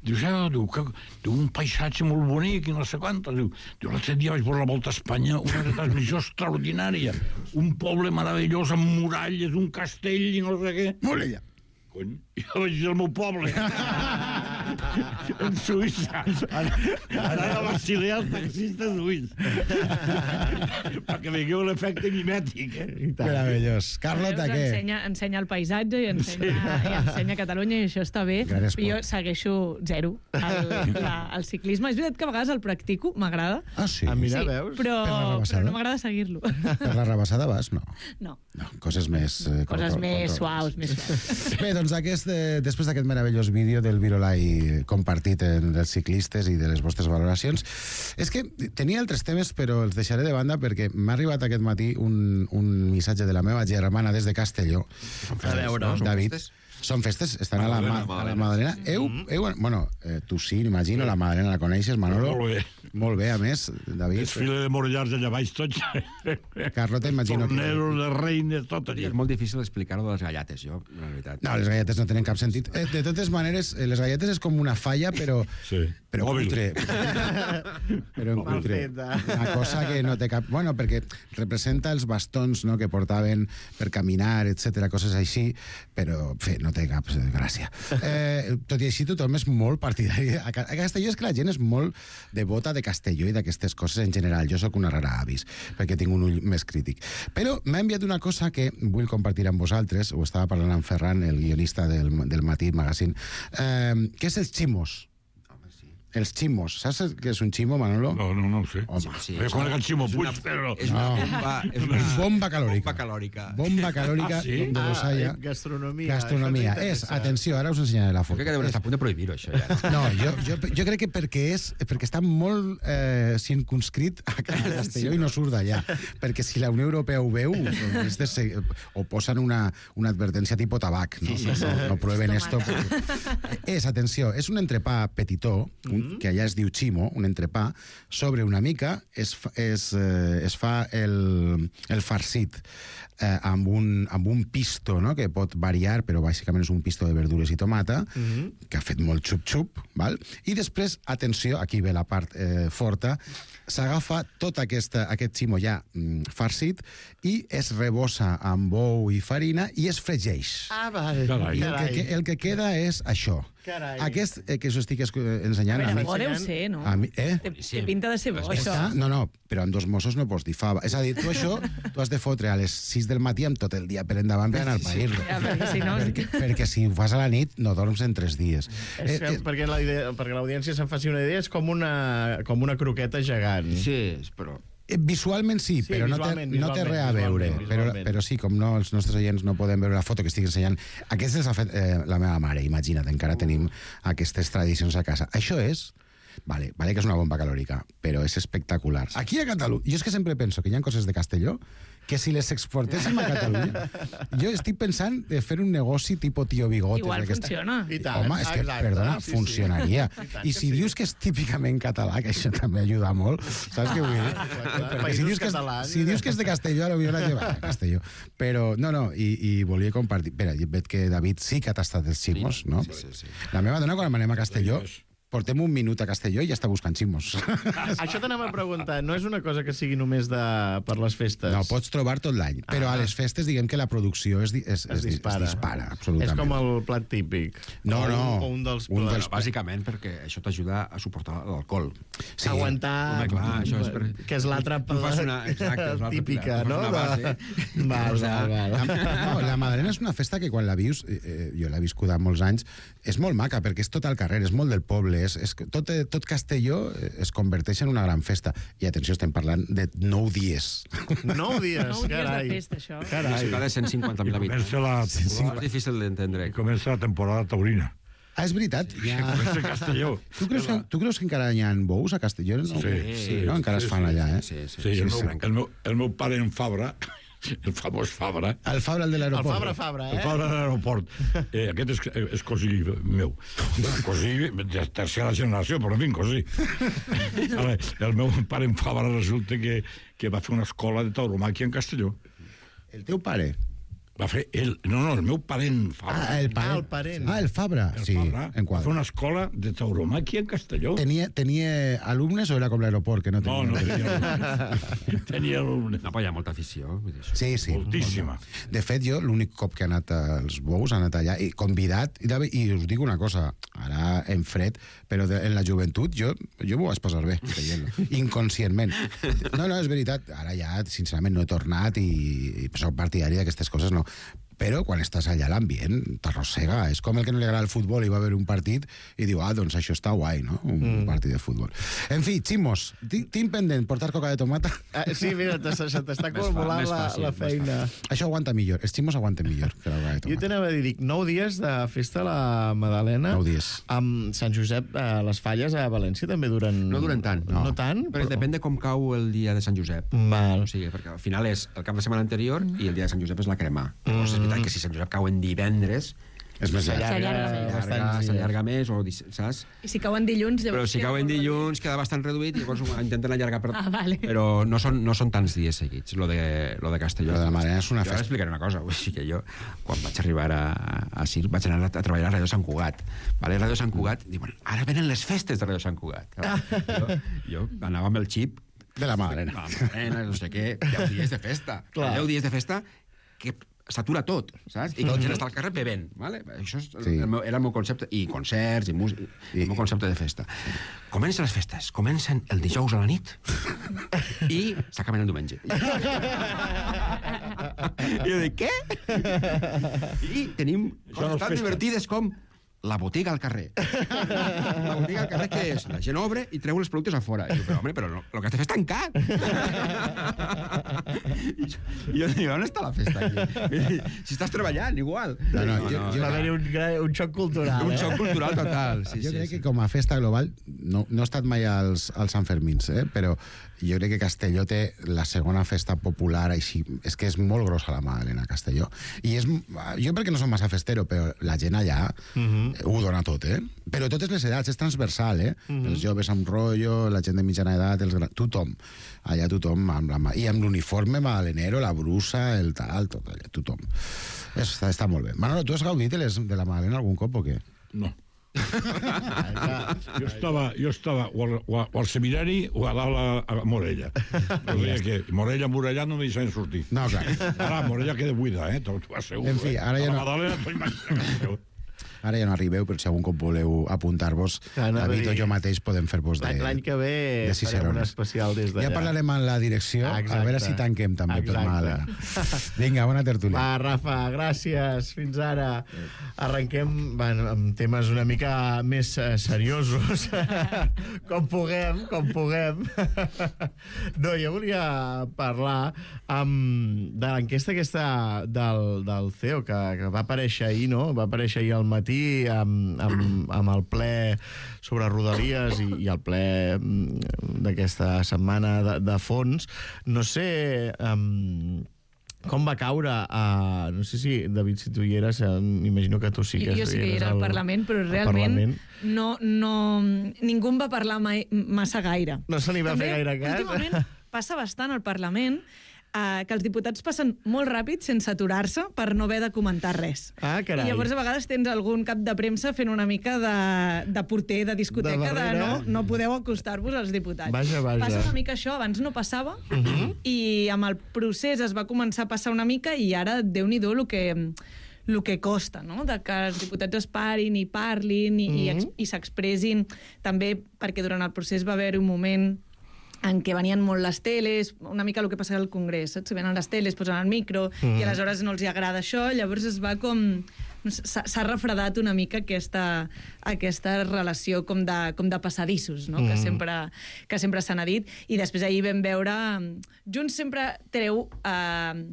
Diu, ja, diu, que, diu, un paisatge molt bonic i no sé quant. Diu, diu l'altre dia vaig veure la Volta a Espanya, una transmissió extraordinària, un poble meravellós amb muralles, un castell i no sé què. Morella. Cony, jo vaig dir al meu poble. En Suïssa. Anar a Basilea als taxistes suïs. Perquè veieu l'efecte mimètic, eh? Meravellós. Carlota, què? Ensenya, ensenya el paisatge i ensenya, sí. i ensenya Catalunya i això està bé. Jo segueixo zero el, la, el ciclisme. És veritat que a vegades el practico, m'agrada. Ah, sí? Ah, mira, sí, veus? però, però no m'agrada seguir-lo. Per la rebassada vas? No. No. No, coses més... Eh, coses control, més control. suaus, més suaus. Bé, doncs aquest, eh, després d'aquest meravellós vídeo del Virolai compartit en els ciclistes i de les vostres valoracions, és que tenia altres temes, però els deixaré de banda perquè m'ha arribat aquest matí un, un missatge de la meva germana des de Castelló. A veure, no? David. Són festes, estan a la, ma, a la Madalena. Heu, heu, bueno, eh, tu sí, m'imagino, la Madalena la coneixes, Manolo? Molt bé. Molt bé, a més, David. Desfile de morellars allà baix, tots. Carlota, imagino que... Torneros, de reines, tot allà. És molt difícil explicar-ho de les galletes, jo, la veritat. No, les galletes no tenen cap sentit. Eh, de totes maneres, eh, les galletes és com una falla, però... Sí. Però cutre. Però en cutre. Una cosa que no té cap... Bueno, perquè representa els bastons, no?, que portaven per caminar, etcètera, coses així, però, fe, no té cap gràcia. Eh, tot i així, tothom és molt partidari. A Castelló és que la gent és molt devota de Castelló i d'aquestes coses en general. Jo sóc una rara avis, perquè tinc un ull més crític. Però m'ha enviat una cosa que vull compartir amb vosaltres, ho estava parlant amb Ferran, el guionista del, del Matí Magazine, eh, que és els ximos. Els ximos. Saps què és un ximo, Manolo? No, no, no ho sé. Home, sí, jo conec el Ximo Puig, però... És una bomba, és una bomba calòrica. Bomba calòrica. Bomba calòrica Ah, sí? de Dosalla. Ah, gastronomia. Gastronomia. És, atenció, ara us ensenyaré la Jo foto. crec que deuen estar a punt de prohibir-ho, això, ja. No, jo, jo, jo crec que perquè és perquè està molt eh, circunscrit a Castelló i no surt d'allà. Perquè si la Unió Europea ho veu, és de ser, o posen una, una advertència tipus tabac. No, no, no, no prueben esto. Perquè... És, atenció, és un entrepà petitó, un, que allà es diu ximo, un entrepà, sobre una mica es, fa- es, eh, es fa el, el farcit eh, amb, un, amb un pisto, no?, que pot variar, però bàsicament és un pisto de verdures i tomata, que ha fet molt xup-xup, val? I després, atenció, aquí ve la part eh, forta, s'agafa tot aquesta, aquest ximo ja mm, farcit i es rebossa amb ou i farina i es fregeix. Ah, vale. Carai. I el que, el que queda és això. Carai. Aquest eh, que us estic ensenyant... A veure, a mi- bo deu ser, no? A mi, eh? Té, té pinta de ser bo, això. Està, no, no, però amb dos Mossos no pots dir fava. És a dir, tu això tu has de fotre a les sis del matí amb tot el dia per endavant per anar a pair-lo. Ja, perquè si no... Perquè, perquè si ho fas a la nit no dorms en tres dies. És que, perquè la idea, perquè l'audiència se'n faci una idea, és com una, com una croqueta gegant. Sí, però... Eh, Visualment sí, Sí, però no té, visualment, no té visualment, res a veure. visualment, Però, visualment. però sí, com no, els nostres oients no podem veure la foto que estic ensenyant. Aquesta els ha fet eh, la meva mare, imagina't, encara tenim aquestes tradicions a casa. Això és... Vale, vale que és una bomba calòrica, però és espectacular. Aquí a Catalunya, jo és que sempre penso que hi ha coses de Castelló que si les exportéssim a Catalunya, jo estic pensant de fer un negoci tipus Tío Bigotes. Igual d'aquesta- funciona. I tant, Home, és que, exacte, perdona, sí, sí. funcionaria. I tant I que si sí. dius que és típicament català, que això també ajuda molt, saps què vull dir? Perquè Països si dius, que és, catalans. si dius que és de Castelló, potser la lleva a Castelló. Però, no, no, i, i volia compartir... Espera, veig que David sí que ha tastat els ximos, no? Sí, sí, sí. La meva dona, quan anem a Castelló, portem un minut a Castelló i ja està buscant ximos. Això t'anava a preguntar, no és una cosa que sigui només de, per les festes? No, pots trobar tot l'any, però Ah. a les festes diguem que la producció es, di- es, Es dispara. es dispara, absolutament. És com el plat típic. No, O un- no. O un dels Un plats. dels- Bàsicament perquè això t'ajuda a suportar l'alcohol. Sí. Aguantar... Home, clar, això és per- Que és l'altra Tu fas una- exacte, és l'altra típica, pilar. Tu no? fas una base. Val, O sea, val, La, val. no, la Madalena és una festa que quan la vius, eh, eh, jo l'he viscuda molts anys, és molt maca, perquè és tot al carrer, és molt del poble, és, és, que tot, tot Castelló eh, es converteix en una gran festa. I atenció, estem parlant de nou dies. Nou dies, Nou dies de carai. festa, això. Una Carai. ciutat de cent cinquanta mil habitants. Comença la, És difícil d'entendre. comença la temporada taurina. Ah, és veritat. Ja... Comença a Castelló. Tu creus, que, tu creus que encara hi ha bous a Castelló? No? Sí, sí, no? Encara es fan allà, eh? Sí, sí. Sí, el, sí, meu, el, meu, el meu pare en Fabra, el famós Fabra, El Fabra, el de El l'aeroport. Fabra Fabra, el eh? Fabra de l'aeroport, eh, aquest és, és cosí meu. Cosí de tercera generació, però en fi, cosí. Ara, el meu pare en Fabra resulta que, que va fer una escola de tauromàquia en Castelló. El teu pare? Va fer ell, no, no, el meu parent Fabra. Ah, el parent. Ah, el parent. Ah, el Fabra. El sí, Fabra en va quadre. fer una escola de tauromàquia en Castelló. Tenia, tenia alumnes o era com l'aeroport, que no No, tenia? no tenia alumnes. Tenia alumnes. No, però hi ha molta afició. Vull dir, això. Sí, sí. Moltíssima. De fet, jo l'únic cop que he anat als bous, he anat allà, i convidat, i, de, i us dic una cosa, ara en fred, però de, en la joventut jo, jo m'ho vaig passar bé, veient-lo, inconscientment. No, no, és veritat, ara ja, sincerament, no he tornat i, i soc partidari d'aquestes coses, no. Però quan estàs allà l'ambient t'arrossega. És com el que no li agrada el futbol i va haver un partit i diu, ah, doncs això està guai, no? Un mm. partit de futbol. En fi, ximos, tinc pendent portar coca de tomata. Ah, sí, mira, se t'està Més acumulant fa- més la, fàcil, la més feina. Això aguanta millor, els ximos aguanten millor que la coca de Jo tomata. t'anava a dir, dic, nou dies de festa a la Madalena. Nou dies. Amb Sant Josep, eh, les falles a València també duren... No duren tant. No, no tant? Però depèn de com cau el dia de Sant Josep. Val. O sigui, perquè al final és el cap de setmana anterior i el dia de Sant Josep és la crema. Llavors és veritat que si Sant Josep cau en divendres, És més llarg. S'allarga més. s'allarga, s'allarga més, o, dis- saps? I si cauen dilluns... Però llavors si queda cau en molt dilluns queda bastant reduït i llavors ho intenten allargar per... Ah, vale. Però no són, no són tants dies seguits, lo de, lo de Castelló. Lo de la Madalena és una jo festa. ara explicaré una cosa. O sigui que jo, quan vaig arribar a, a Circ, vaig anar a, a treballar a Ràdio Sant Cugat. Vale? Ràdio Sant Cugat, diuen, ara venen les festes de Ràdio Sant Cugat. Jo, jo anava amb el xip De la Madalena. la Madalena, no sé què, deu dies de festa. Clar. deu dies de festa que s'atura tot, saps? I que la gent està al carrer bevent, vale? Això és el, Sí. el meu, era el meu concepte, i concerts, i música, I- el meu concepte de festa. Comencen les festes, comencen el dijous a la nit i s'acaben el diumenge. I jo dic, què? I tenim Això no és coses tan festa. divertides com la botiga al carrer. La botiga al carrer, què és? La gent obre i treu els productes a fora. I jo, però, home, però no, el que has de fer és tancar. I jo, i jo dic, on està la festa aquí? Si estàs treballant, igual. No, no, jo- jo- Va haver-hi un, gra- un xoc cultural, Un eh? xoc cultural total. Sí, jo sí, crec sí. que com a festa global, no, no he estat mai als, als Sant Fermins, eh? Però jo crec que Castelló té la segona festa popular així, és que és molt grossa la Madalena, Castelló. I és, jo perquè no som massa festero, però la gent allà uh -huh. ho dona tot, eh? Però totes les edats, és transversal, eh? Uh -huh. Els joves amb rotllo, la gent de mitjana edat, els gran... tothom. Allà tothom, amb la... i amb l'uniforme madalenero, la brusa, el tal, tot allà, tothom. Està, està molt bé. Manolo, tu has gaudit de, les, de la Madalena algun cop o què? No. jo estava, jo estava o al, o, o al seminari o a dalt a, a Morella. O sigui que Morella, Morella no m'hi deixaven sortir. No, clar. Ara Morella queda buida, eh? Tot va ser En fi, ara ja a la no- Madalena t'ho imagino. Ara ja no arribeu, però si algun cop voleu apuntar-vos, David o jo mateix podem fer-vos de L'any que ve de farem un especial des d'allà. Ja parlarem amb la direcció, Exacte. a veure si tanquem també per Màlaga. Vinga, bona tertúlia. Va, Rafa, gràcies. Fins ara. Arrenquem bueno, amb temes una mica més eh, seriosos. com puguem, com puguem. no, jo volia parlar um, de l'enquesta aquesta del, del C E O, que, que va aparèixer ahir, no? Va aparèixer ahir al matí amb, amb, amb el ple sobre Rodalies i, i el ple d'aquesta setmana de, de fons. No sé... Um, com va caure a... No sé si, David, si tu hi eres, m'imagino que tu sí que... Jo, jo sí que hi era al Parlament, però realment no, no, ningú en va parlar mai, massa gaire. No se n'hi va També, fer gaire cas. Últimament passa bastant al Parlament eh, que els diputats passen molt ràpid sense aturar-se per no haver de comentar res. Ah, carai. I llavors a vegades tens algun cap de premsa fent una mica de, de porter de discoteca, de, de no, no podeu acostar-vos als diputats. Vaja, vaja. Passa una mica això, abans no passava, Uh -huh. i amb el procés es va començar a passar una mica i ara, Déu-n'hi-do, el que el que costa, no? De que els diputats es parin i parlin i, Mhm. i, i s'expressin, també perquè durant el procés va haver un moment en què venien molt les teles, una mica el que passa al Congrés, saps? Venen les teles, posen el micro, Mhm. i aleshores no els hi agrada això, llavors es va com... s'ha refredat una mica aquesta, aquesta relació com de, com de passadissos, no? Mhm. que sempre, que sempre se n'ha dit. I després ahir vam veure... Junts sempre treu... Eh,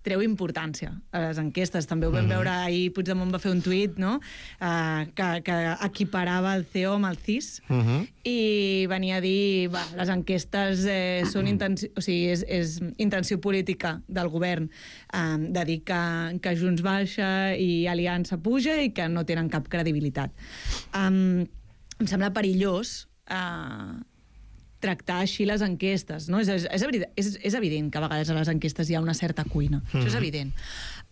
treu importància a les enquestes. També ho vam Mhm. veure ahir, Puigdemont va fer un tuit, no? Uh, que, que equiparava el C E O amb el C I S, Uh -huh. i venia a dir, va, les enquestes eh, són intenció, o sigui, és, és intenció política del govern eh, de dir que, que Junts baixa i Aliança puja i que no tenen cap credibilitat. Um, em sembla perillós eh, tractar així les enquestes, no? És, és, és, és evident que a vegades a les enquestes hi ha una certa cuina, mm. això és evident.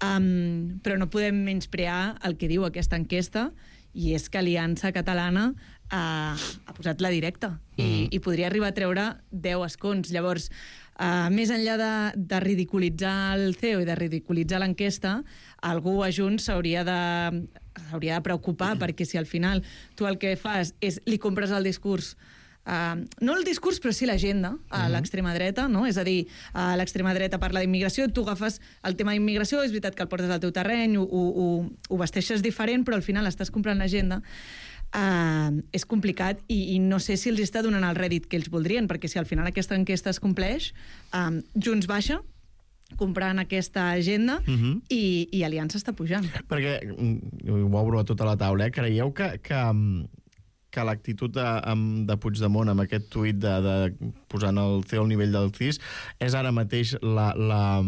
Um, però no podem menysprear el que diu aquesta enquesta, i és que Aliança Catalana uh, ha posat la directa i, mm. i podria arribar a treure deu escons. Llavors, uh, més enllà de, de ridiculitzar el C E O i de ridiculitzar l'enquesta, algú a Junts s'hauria de, s'hauria de preocupar, perquè si al final tu el que fas és li compres el discurs, Uh, no el discurs, però sí l'agenda a Mhm. l'extrema dreta, no? És a dir, uh, l'extrema dreta parla d'immigració, tu agafes el tema d'immigració, és veritat que el portes al teu terreny, ho, ho, ho vesteixes diferent, però al final estàs comprant l'agenda. Uh, és complicat i, i no sé si els està donant el rèdit que ells voldrien, perquè si al final aquesta enquesta es compleix, um, Junts baixa, comprant aquesta agenda, uh -huh. i, i Aliança està pujant. Perquè, ho obro a tota la taula, eh? Creieu que... que que l'actitud de, de Puigdemont amb aquest tuit de, de posant el C E O al nivell del C I S és ara mateix la, la,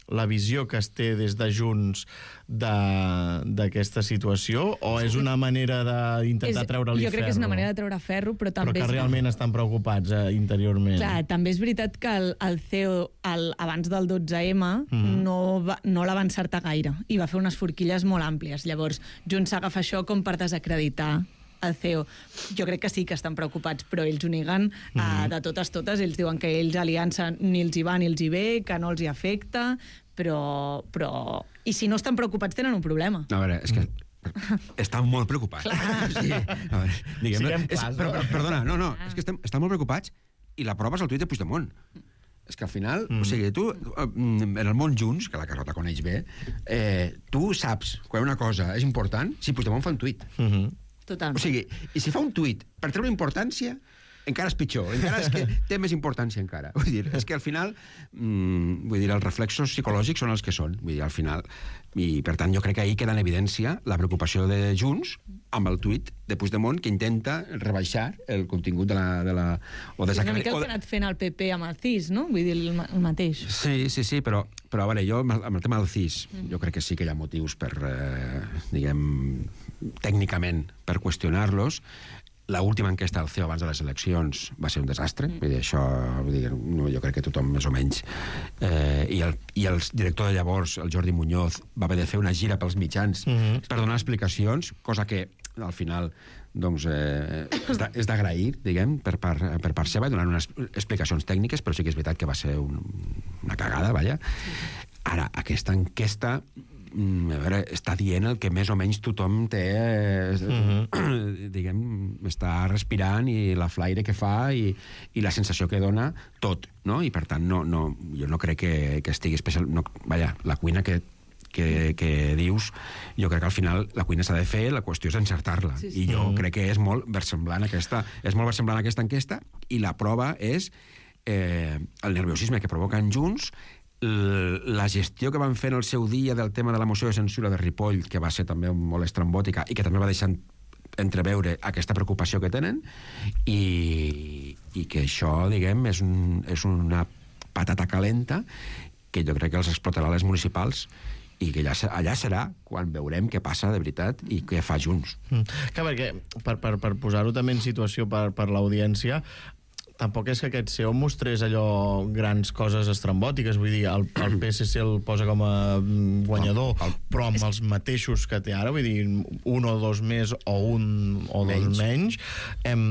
la visió que es té des de Junts d'aquesta situació, o és una manera d'intentar treure-li ferro? Jo crec que és una manera de treure ferro, però també... Però que realment és... estan preocupats eh, interiorment. Clar, també és veritat que el, el C E O el, abans del dotze eme Mhm. no, va, no la va encertar gaire i va fer unes forquilles molt àmplies. Llavors, Junts s'agafa això com per desacreditar el C E O. Jo crec que sí que estan preocupats, però ells ho neguen uh, Mhm. de totes totes. Ells diuen que ells Aliança ni els hi va ni els hi ve, que no els hi afecta, però... però... I si no estan preocupats tenen un problema. A veure, és que estan molt preocupats. Sí, a veure, diguem, Siguem és, clars, però, no? perdona, no, no, és que estem, estan molt preocupats i la prova és el tuit de Puigdemont. És que al final, mm. o sigui, tu, en el món Junts, que la Carlota coneix bé, eh, tu saps quan una cosa és important si Puigdemont fa un tuit. Mhm. Totalment. O sigui, i si fa un tuit per treure importància, encara és pitjor, encara és que té més importància encara. Vull dir, és que al final, mmm, vull dir, els reflexos psicològics són els que són, vull dir, al final, i per tant jo crec que ahir queda en evidència la preocupació de Junts amb el tuit de Puigdemont, que intenta rebaixar el contingut de la... De la o És una desacre... mica el o que de... ha anat fent el P P amb el C I S, no? Vull dir, el, el mateix. Sí, sí, sí, però, però a veure, jo amb el, amb el tema del C I S, mm. jo crec que sí que hi ha motius per, eh, diguem, tècnicament, per qüestionar-los. L'última enquesta del C E O abans de les eleccions va ser un desastre, mm. vull dir, això, vull dir, no, jo crec que tothom més o menys, eh, i, el, i el director de llavors, el Jordi Muñoz, va haver de fer una gira pels mitjans mm. per donar explicacions, cosa que al final doncs, eh, és d'agrair, diguem, per part, per part seva, donant unes explicacions tècniques, però sí que és veritat que va ser un, una cagada, vaja. Ara, aquesta enquesta a veure, està dient el que més o menys tothom té, eh, uh-huh. diguem, està respirant, i la flaire que fa i, i la sensació que dona tot, no? I per tant, no, no, jo no crec que, que estigui especial... No, vaja, la cuina que Que, que dius, jo crec que al final la cuina s'ha de fer, la qüestió és encertar-la, sí, sí. I jo mm. crec que és molt versemblant aquesta, és molt versemblant aquesta enquesta, i la prova és eh, el nerviosisme que provoquen Junts, la gestió que van fer en el seu dia del tema de la moció de censura de Ripoll, que va ser també molt estrambòtica i que també va deixar entreveure aquesta preocupació que tenen, i, i que això, diguem, és, un, és una patata calenta que jo crec que els explotarà a les municipals, i que allà, allà serà quan veurem què passa de veritat i què fa Junts. Mm. Que perquè, per, per, per posar-ho també en situació per, per l'audiència, tampoc és que aquest C E O mostrés allò grans coses estrambòtiques, vull dir, el, el P S C el posa com a guanyador, el, el, però amb els mateixos que té ara, vull dir, un o dos més o un o menys. dos menys, hem...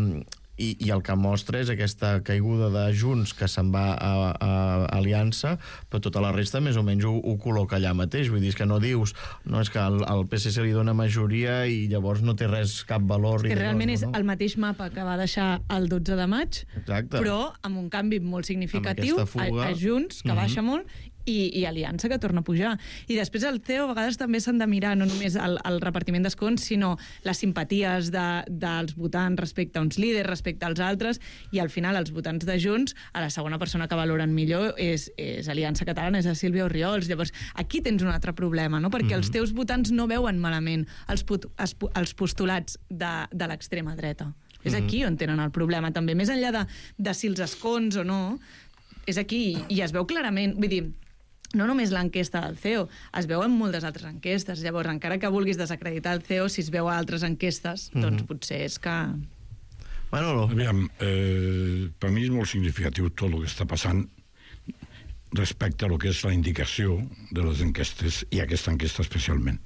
I, i el que mostra és aquesta caiguda de Junts que se'n va a, a, a Aliança, però tota la resta més o menys ho, ho col·loca allà mateix. Vull dir, és que no dius, no, és que el, el P S C li dona majoria i llavors no té res, cap valor. Que realment no, és no? el mateix mapa que va deixar el dotze de maig, exacte. Però amb un canvi molt significatiu a, a Junts, que uh-huh. baixa molt, i, i Aliança, que torna a pujar. I després el C E O a vegades també s'han de mirar no només el, el repartiment d'escons, sinó les simpaties de, dels votants respecte a uns líders, respecte als altres, i al final els votants de Junts, a la segona persona que valoren millor és, és Aliança Catalana, és a Sílvia Orriols. Llavors, aquí tens un altre problema, no? Perquè mm-hmm. els teus votants no veuen malament els, put, els, els postulats de, de l'extrema dreta. Mm-hmm. És aquí on tenen el problema, també. Més enllà de, de si els escons o no, és aquí, i es veu clarament, vull dir, no només l'enquesta del C E O, es veu en moltes altres enquestes. Llavors, encara que vulguis desacreditar el C E O, si es veu a altres enquestes, mm-hmm. doncs potser és que... Manolo. Aviam, eh, per mi és molt significatiu tot el que està passant respecte a lo que és la indicació de les enquestes, i aquesta enquesta especialment.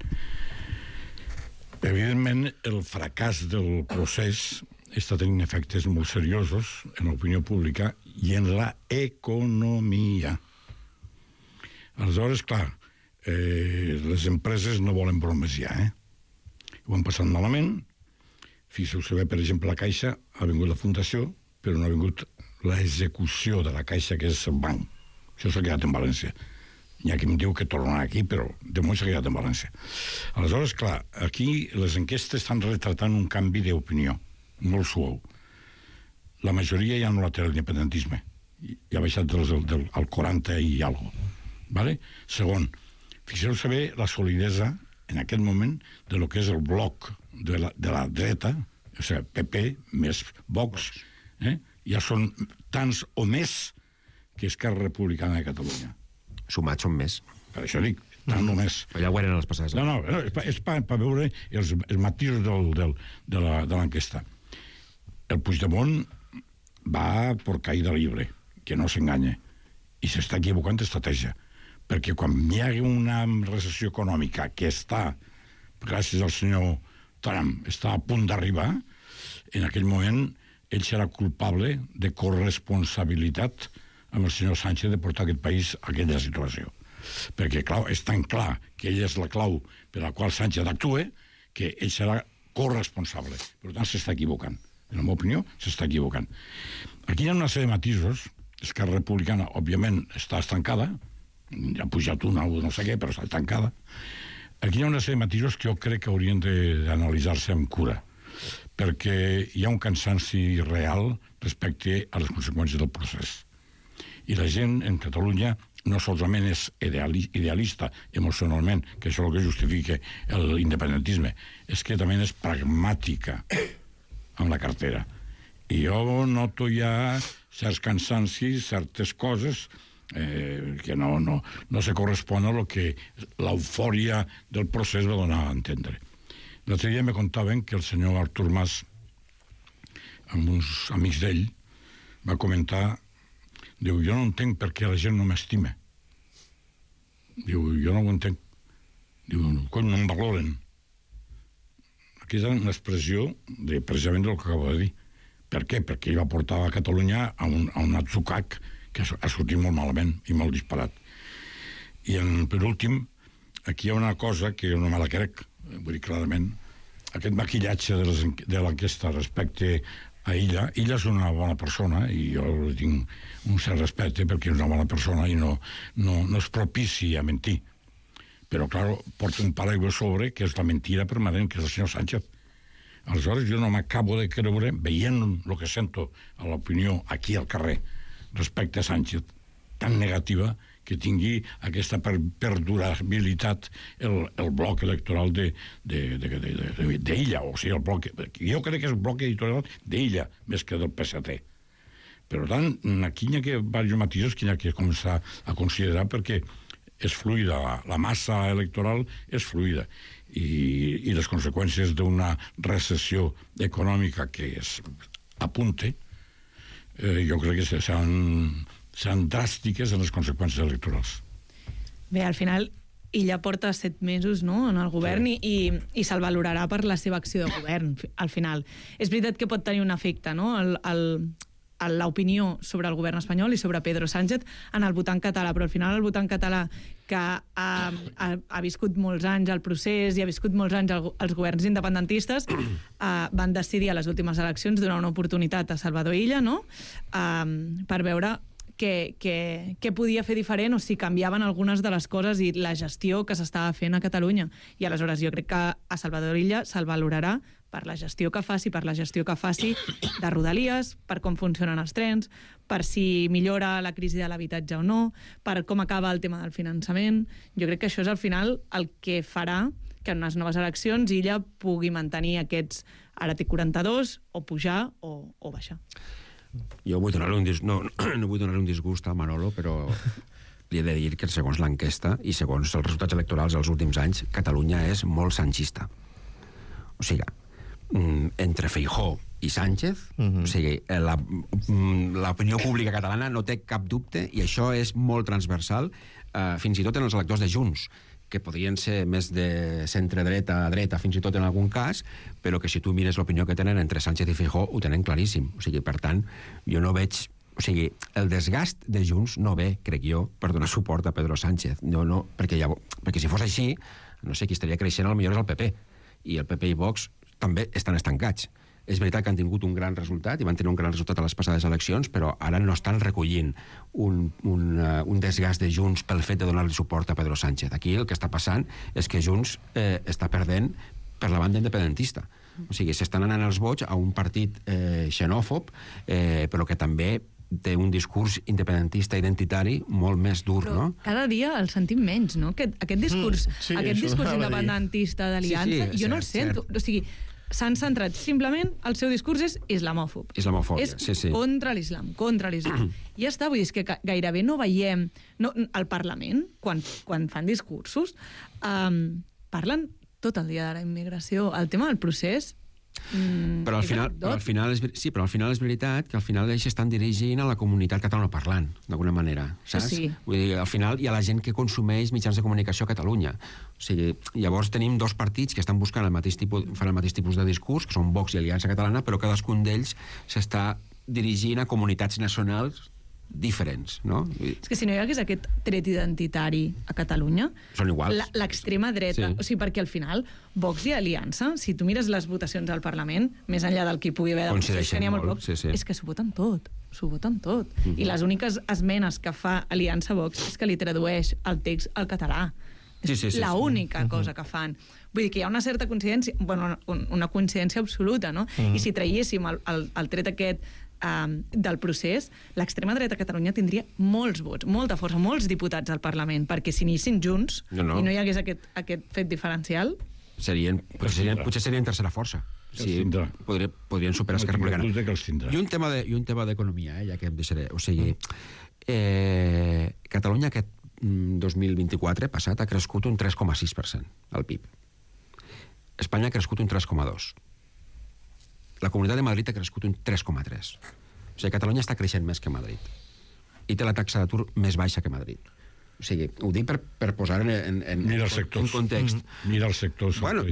Evidentment, el fracàs del procés està tenint efectes molt seriosos en l'opinió pública i en la economia. Aleshores, clar, eh, les empreses no volen bromes ja, eh? Ho han passat malament. Fixeu-se bé, per exemple, la Caixa ha vingut la fundació, però no ha vingut l'execució de la Caixa, que és el banc. Això s'ha quedat en València. Hi ha qui em diu que tornarà aquí, però de moment s'ha quedat en València. Aleshores, clar, aquí les enquestes estan retratant un canvi d'opinió, molt suau. La majoria ja no la té l'independentisme. Ja ha baixat del, del, al quaranta i alguna cosa. Vale? Segon, fixeu-se bé la solidesa en aquest moment de lo que és el bloc de la, de la dreta, o sigui, P P més Vox, eh? Ja són tants o més que Esquerra Republicana de Catalunya. Sumats són més. Per això dic, tant o més. Ja ho eren les passades. No, no, és, és per, per veure els, els matisos del, del, de l'enquesta. El Puigdemont va por caïda libre, que no s'enganya, i s'està equivocant d'estratègia. Perquè quan hi ha una recessió econòmica que està, gràcies al senyor Trump, està a punt d'arribar, en aquell moment ell serà culpable de corresponsabilitat amb el senyor Sánchez de portar aquest país a aquella situació. Perquè, clar, és tan clar que ell és la clau per la qual Sánchez actua que ell serà corresponsable. Per tant, s'està equivocant. En la meva opinió, s'està equivocant. Aquí hi ha una sèrie de matisos. Esquerra Republicana, òbviament, està estancada, ha pujat una o no sé què, però està estancada. Aquí hi ha una sèrie de matisos que jo crec que haurien d'analitzar-se amb cura, perquè hi ha un cansanci real respecte a les conseqüències del procés. I la gent en Catalunya no solament és idealista emocionalment, que això és el que justifica l'independentisme, és que també és pragmàtica amb la cartera. I jo noto ja certs cansancis, certes coses eh, que no, no, no se correspon a lo que l'eufòria del procés va donar a entendre. L'altre dia me contaven que el senyor Artur Mas, amb uns amics d'ell, va comentar, diu, jo no entenc per què la gent no m'estima. Diu, jo no ho entenc. Diu, coi, no em valoren. Aquesta és una expressió de, precisament del que acabo de dir. Per què? Perquè ell va portar a Catalunya a un, a un atzucac que ha sortit molt malament i molt disparat. I en, per últim, aquí hi ha una cosa que jo no me la crec, vull dir, clarament, aquest maquillatge de, les, de l'enquesta respecte a Illa. Illa és una bona persona i jo tinc un cert respecte perquè és una bona persona i no, no, no és propici a mentir. Però, clar, porta un paraigua sobre que és la mentira permanent, que és el senyor Sánchez. Aleshores, jo no m'acabo de creure, veient el que sento a l'opinió aquí al carrer respecte a Sánchez, tan negativa, que tingui aquesta per perdurabilitat el, el bloc electoral de, de, de, de, de, d'Illa, o sigui, el bloc, jo crec que és el bloc editorial d'Illa, més que del P S T. Per tant, aquí hi ha que diversos matisos que hi ha que començar a considerar perquè és fluida, la, la massa electoral és fluida i, i les conseqüències d'una recessió econòmica que es apunte, eh, jo crec que s'han seran dràstiques en les conseqüències electorals. Bé, al final, Illa porta set mesos, no?, en el govern, sí. i, i, i se'l valorarà per la seva acció de govern, al final. És veritat que pot tenir un efecte, no?, el, el, l'opinió sobre el govern espanyol i sobre Pedro Sánchez en el votant català, però al final el votant català que ha, ha, ha viscut molts anys el procés i ha viscut molts anys el, els governs independentistes eh, van decidir a les últimes eleccions donar una oportunitat a Salvador Illa, no?, eh, per veure Què, què, què podia fer diferent o si canviaven algunes de les coses i la gestió que s'estava fent a Catalunya. I aleshores jo crec que a Salvador Illa se'l valorarà per la gestió que faci, per la gestió que faci de Rodalies, per com funcionen els trens, per si millora la crisi de l'habitatge o no, per com acaba el tema del finançament. Jo crec que això és al final el que farà que en unes noves eleccions Illa pugui mantenir aquests, ara té quaranta-dos, o pujar o, o baixar. Jo vull donar-li un, dis... no, no vull donar un disgust a Manolo, però li he de dir que segons l'enquesta i segons els resultats electorals dels últims anys, Catalunya és molt sanchista. O sigui, entre Feijóo i Sánchez, uh-huh. o sigui, la, l'opinió pública catalana no té cap dubte, i això és molt transversal, eh, fins i tot en els electors de Junts, que podrien ser més de centre-dreta a dreta, fins i tot en algun cas, però que si tu mires l'opinió que tenen entre Sánchez i Feijóo, ho tenen claríssim. O sigui, per tant, jo no veig... O sigui, el desgast de Junts no ve, crec jo, per donar suport a Pedro Sánchez. No, no, perquè, ja, perquè si fos així, no sé, qui estaria creixent al millor és el P P. I el P P i Vox també estan estancats. És veritat que han tingut un gran resultat i van tenir un gran resultat a les passades eleccions, però ara no estan recollint un, un, uh, un desgast de Junts pel fet de donar-li suport a Pedro Sánchez. Aquí el que està passant és que Junts eh, està perdent per la banda independentista. O sigui, s'estan anant els vots a un partit eh, xenòfob, eh, però que també té un discurs independentista identitari molt més dur, però no? Cada dia el sentim menys, no? Aquest, aquest discurs, mm, sí, aquest discurs independentista d'aliança, sí, sí, jo no el sento. Cert. O sigui, s'han centrat simplement, el seu discurs és islamòfob. Islamofòbia, és sí, sí. contra l'islam, contra l'islam. I ja està, vull dir, és que gairebé no veiem... No, al Parlament, quan, quan fan discursos, um, parlen tot el dia de la immigració. El tema del procés... Mm, però, al final, però al final és, sí, però al final és veritat que al final ells estan dirigint a la comunitat catalanoparlant, d'alguna manera, saps? Sí. Vull dir, al final hi ha la gent que consumeix mitjans de comunicació a Catalunya. O sigui, llavors tenim dos partits que estan buscant el mateix tipus, fan el mateix tipus de discurs, que són Vox i Aliança Catalana, però cadascun d'ells s'està dirigint a comunitats nacionals diferents, no? És que si no hi hagués aquest tret identitari a Catalunya, són iguals. L'extrema dreta, sí. O sigui, perquè al final Vox i Aliança, si tu mires les votacions al Parlament, més enllà del que hi pugui haver de procés, que n'hi ha molt poc, sí, sí. És que s'ho voten tot, s'ho voten tot. Uh-huh. I les úniques esmenes que fa Aliança Vox és que li tradueix el text al català. Sí, sí, sí, l'única sí. cosa que fan. Vull dir que hi ha una certa coincidència, bueno, una coincidència absoluta, no? Uh-huh. I si traiéssim el, el, el tret aquest um, del procés, l'extrema dreta a Catalunya tindria molts vots, molta força, molts diputats al Parlament, perquè si anissin junts no, no. i no hi hagués aquest, aquest fet diferencial... Serien, potser, serien, potser serien tercera força. Sí, podrien, podrien superar Esquerra Republicana. I un tema de, i un tema d'economia, eh, ja que em deixaré. O sigui, eh, Catalunya aquest dos mil vint-i-quatre passat ha crescut un tres coma sis per cent el P I B. Espanya ha crescut un tres coma dos. La Comunitat de Madrid ha crescut un tres coma tres. O sigui, Catalunya està creixent més que Madrid. I té la taxa d'atur més baixa que Madrid. O sigui, ho dic per, per posar en, en, en, Mira els en sectors. context. Mm. Mira els sectors. Bueno,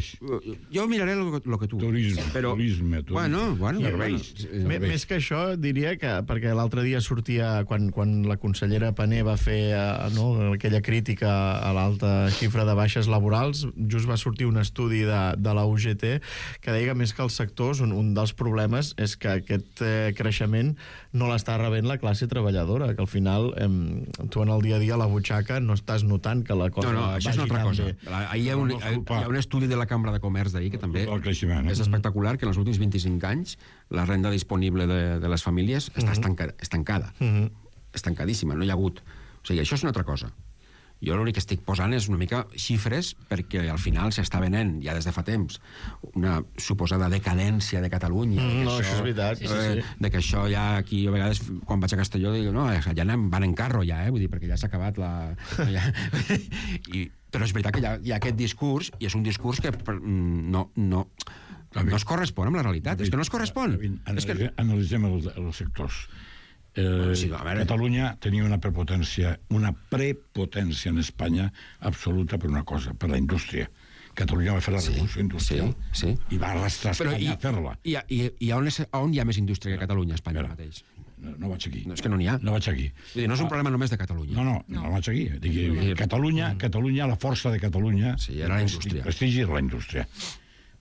jo miraré el, el que tu... Turisme, però... turisme, turisme. Bueno, bueno, serveis. Bueno. Més que això, diria que, perquè l'altre dia sortia, quan, quan la consellera Pané va fer no, aquella crítica a l'alta xifra de baixes laborals, just va sortir un estudi de, de la U G T que deia que més que els sectors, un, un dels problemes és que aquest eh, creixement no l'està rebent la classe treballadora, que al final eh, tu en el dia a dia a la butxaca no estàs notant que la cosa no, no, això és una altra cosa. Bé. Ahir hi ha un, hi ha un estudi de la Cambra de Comerç d'ahir que també és espectacular, que en els últims vint-i-cinc anys la renda disponible de, de les famílies està estancada, estancada. Uh-huh. Estancadíssima, no hi ha hagut. O sigui, això és una altra cosa. Jo l'únic que estic posant és una mica xifres perquè al final s'està venent, ja des de fa temps, una suposada decadència de Catalunya. Mm, de no, això, això és veritat. Sí, sí, sí. De que això ja aquí, a vegades, quan vaig a Castelló, dic, no, ja anem, van en carro ja, eh? Vull dir, perquè ja s'ha acabat la... Ja... I, però és veritat que hi ha, hi ha aquest discurs, i és un discurs que no, no, no es correspon amb la realitat. És que no es correspon. Analitzem, analitzem els, els sectors. Eh, sí, Catalunya tenia una prepotència, una prepotència en Espanya absoluta per una cosa, per la indústria. Catalunya va fer la revolució sí, industrial sí, sí. i va arrastrar Espanya i, a fer-la. I, i, i on, és, on hi ha més indústria que Catalunya, a Espanya Espera, mateix? No, no vaig aquí. No, és que no n'hi ha. No vaig aquí. Vull dir, no és un problema només de Catalunya. No, no, no, no vaig aquí. Dic, sí. Catalunya, Catalunya, la força de Catalunya... Sí, era la indústria. El prestigi era la indústria.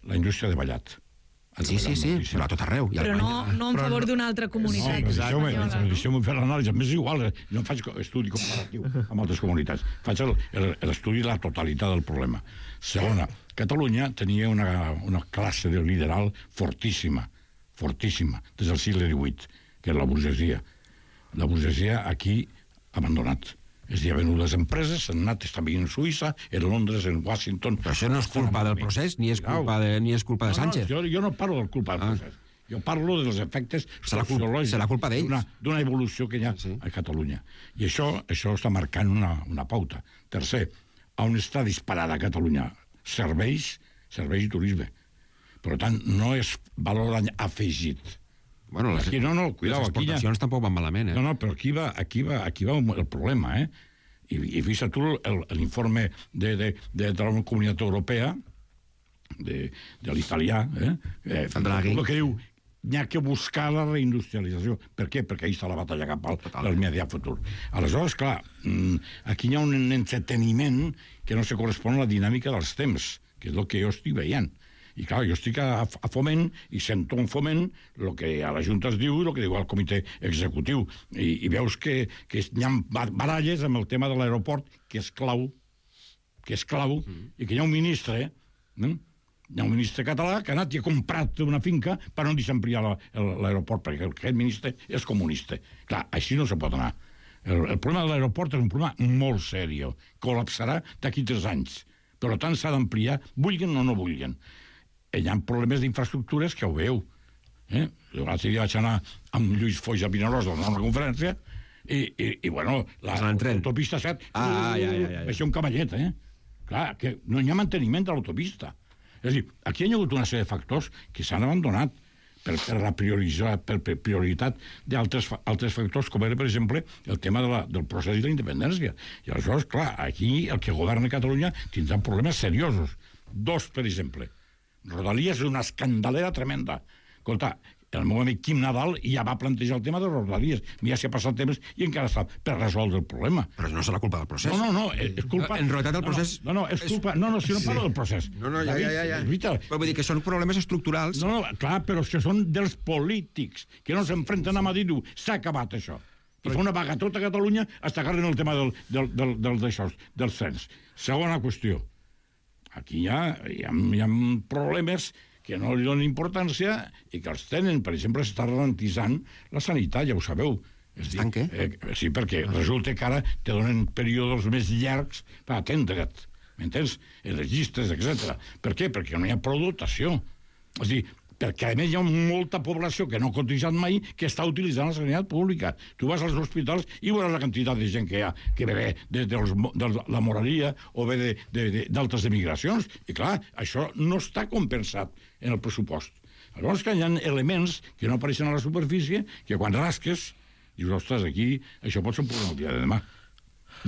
La indústria de Vallat. Sí, sí, sí, però a tot arreu. Però no, no en favor d'una altra comunitat. No, deixeu-me fer l'anàlisi. A més, és igual, no faig estudi comparatiu amb altres comunitats. Faig l'estudi de la totalitat del problema. Segona, Catalunya tenia una, una classe de lideral fortíssima, fortíssima, des del segle divuit, que era la burgesia. La burgesia aquí ha abandonat. És a dir, ha venut les empreses, s'han anat, estan vivint en Suïssa, en Londres, en Washington... Però això no és culpa del procés, ni és culpa de, ni és culpa de Sánchez. No, no, jo, jo no parlo del culpa del procés. Ah. Jo parlo dels efectes sociològics. Serà culpa d'ells. D'una evolució que hi ha sí. a Catalunya. I això, això està marcant una, una pauta. Tercer, on està disparada a Catalunya? Serveis, serveis i turisme. Per tant, no és valor afegit. Bueno, les, aquí, no, no, cuidao, les exportacions ja... tampoc van malament, eh? No, no, però aquí va, aquí va, aquí va el problema, eh? I, i fixa't tu l'informe de, de, de, de la Comunitat Europea, de, de l'italià, eh? eh el que diu, n'hi ha que buscar la reindustrialització. Per què? Perquè ahí està la batalla cap al immediat futur. Aleshores, clar, aquí hi ha un entreteniment que no se correspon a la dinàmica dels temps, que és el que jo estic veient. I clar, jo estic a, a Foment i sento en Foment el que a la Junta es diu i el que diu al comitè executiu. I, i veus que, que hi ha baralles amb el tema de l'aeroport, que és clau, que és clau, mm. i que hi ha un ministre, eh? hi ha un ministre català que ha anat i ha comprat una finca per no deixar ampliar l'aeroport, perquè aquest ministre és comunista. Clar, així no se pot anar. El, el problema de l'aeroport és un problema molt seriós. Col·lapsarà d'aquí tres anys. Per tant, s'ha d'ampliar, vulguin o no vulguin. Hi ha problemes d'infraestructures que ho veu. Eh? L'altre dia vaig anar amb Lluís Foix a Vinaròs a una conferència i, i, i bueno, l'autopista set ah, ah, ja, ja, ja. va ser un cavallet, eh? Clar, que no hi ha manteniment de l'autopista. És a dir, aquí hi ha hagut una sèrie de factors que s'han abandonat per, per la prioritzar, per, per prioritat d'altres altres factors, com era, per exemple, el tema de la, del procés de la independència. I aleshores, clar, aquí el que governa Catalunya tindrà problemes seriosos. Dos, per exemple. Rodalies és una escandalera tremenda. Escolta, el meu amic Quim Nadal ja va plantejar el tema de Rodalies. Ja s'hi ha passat temps i encara està per resoldre el problema. Però no és la culpa del procés. No, no, no, és culpa... En realitat el procés... No, no, és culpa... No, no, si no parlo del procés. No, no, ja, ja, ja. ja. Però vull dir que són problemes estructurals. No, no, clar, però que són dels polítics, que no s'enfrenten a Madrid i diu, s'ha acabat això. I fa una vaga tota Catalunya hasta que arreglen el tema del, del, del, del, d'això, del cens. Segona qüestió. Aquí hi ha, hi ha, hi ha problemes que no li donen importància i que els tenen. Per exemple, s'està ralentitzant la sanitat, ja ho sabeu. Estan què? Eh, sí, perquè resulta que ara te donen períodes més llargs per atendre't, m'entens? En les llistes, etcètera. Per què? Perquè no hi ha prou dotació. És a dir, perquè a més hi ha molta població que no ha cotitzat mai que està utilitzant la sanitat pública. Tu vas als hospitals i veuràs la quantitat de gent que hi ha, que ve de, de, de la moralia o ve d'altres emigracions. I clar, això no està compensat en el pressupost. Llavors que hi ha elements que no apareixen a la superfície que quan rasques dius, ostres, aquí això pot ser un problema el dia de demà.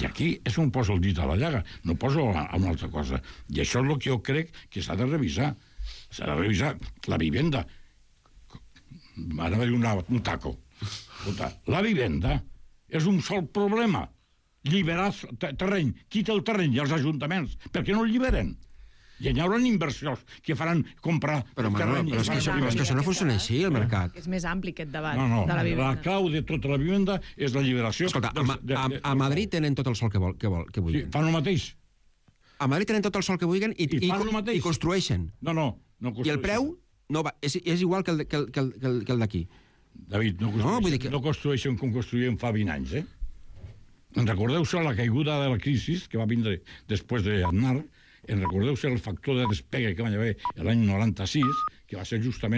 I aquí és on poso el dit a la llaga, no poso a una altra cosa. I això és el que jo crec que s'ha de revisar. S'ha de revisar la vivenda. Ara va dir una, un taco. Escolta, la vivenda és un sol problema. Lliberar terreny. Qui té el terreny? I els ajuntaments. Per què no el lliberen? I hi haurà inversions que faran comprar però, el terreny. Però és que, això, és que això no funciona així, el mercat. És més ampli aquest debat no, no, de la vivenda. La clau de tota la vivenda és la lliberació. Escolta, a, a, a, a Madrid tenen tot el sol que, vol, que, vol, que vulguin. Sí, fan el mateix. A Madrid tenen tot el sol que vulguin i, I, i, i, i construeixen. No, no, no construeixen. I el preu no va, és, és igual que el, que el, que el, que el d'aquí. David, no construeixen, no, que... no construeixen com construïen fa vint anys, eh? En recordeu-se la caiguda de la crisi que va vindre després d'Aznar, en recordeu-se el factor de despegue que va haver l'any noranta-sis, que va ser justament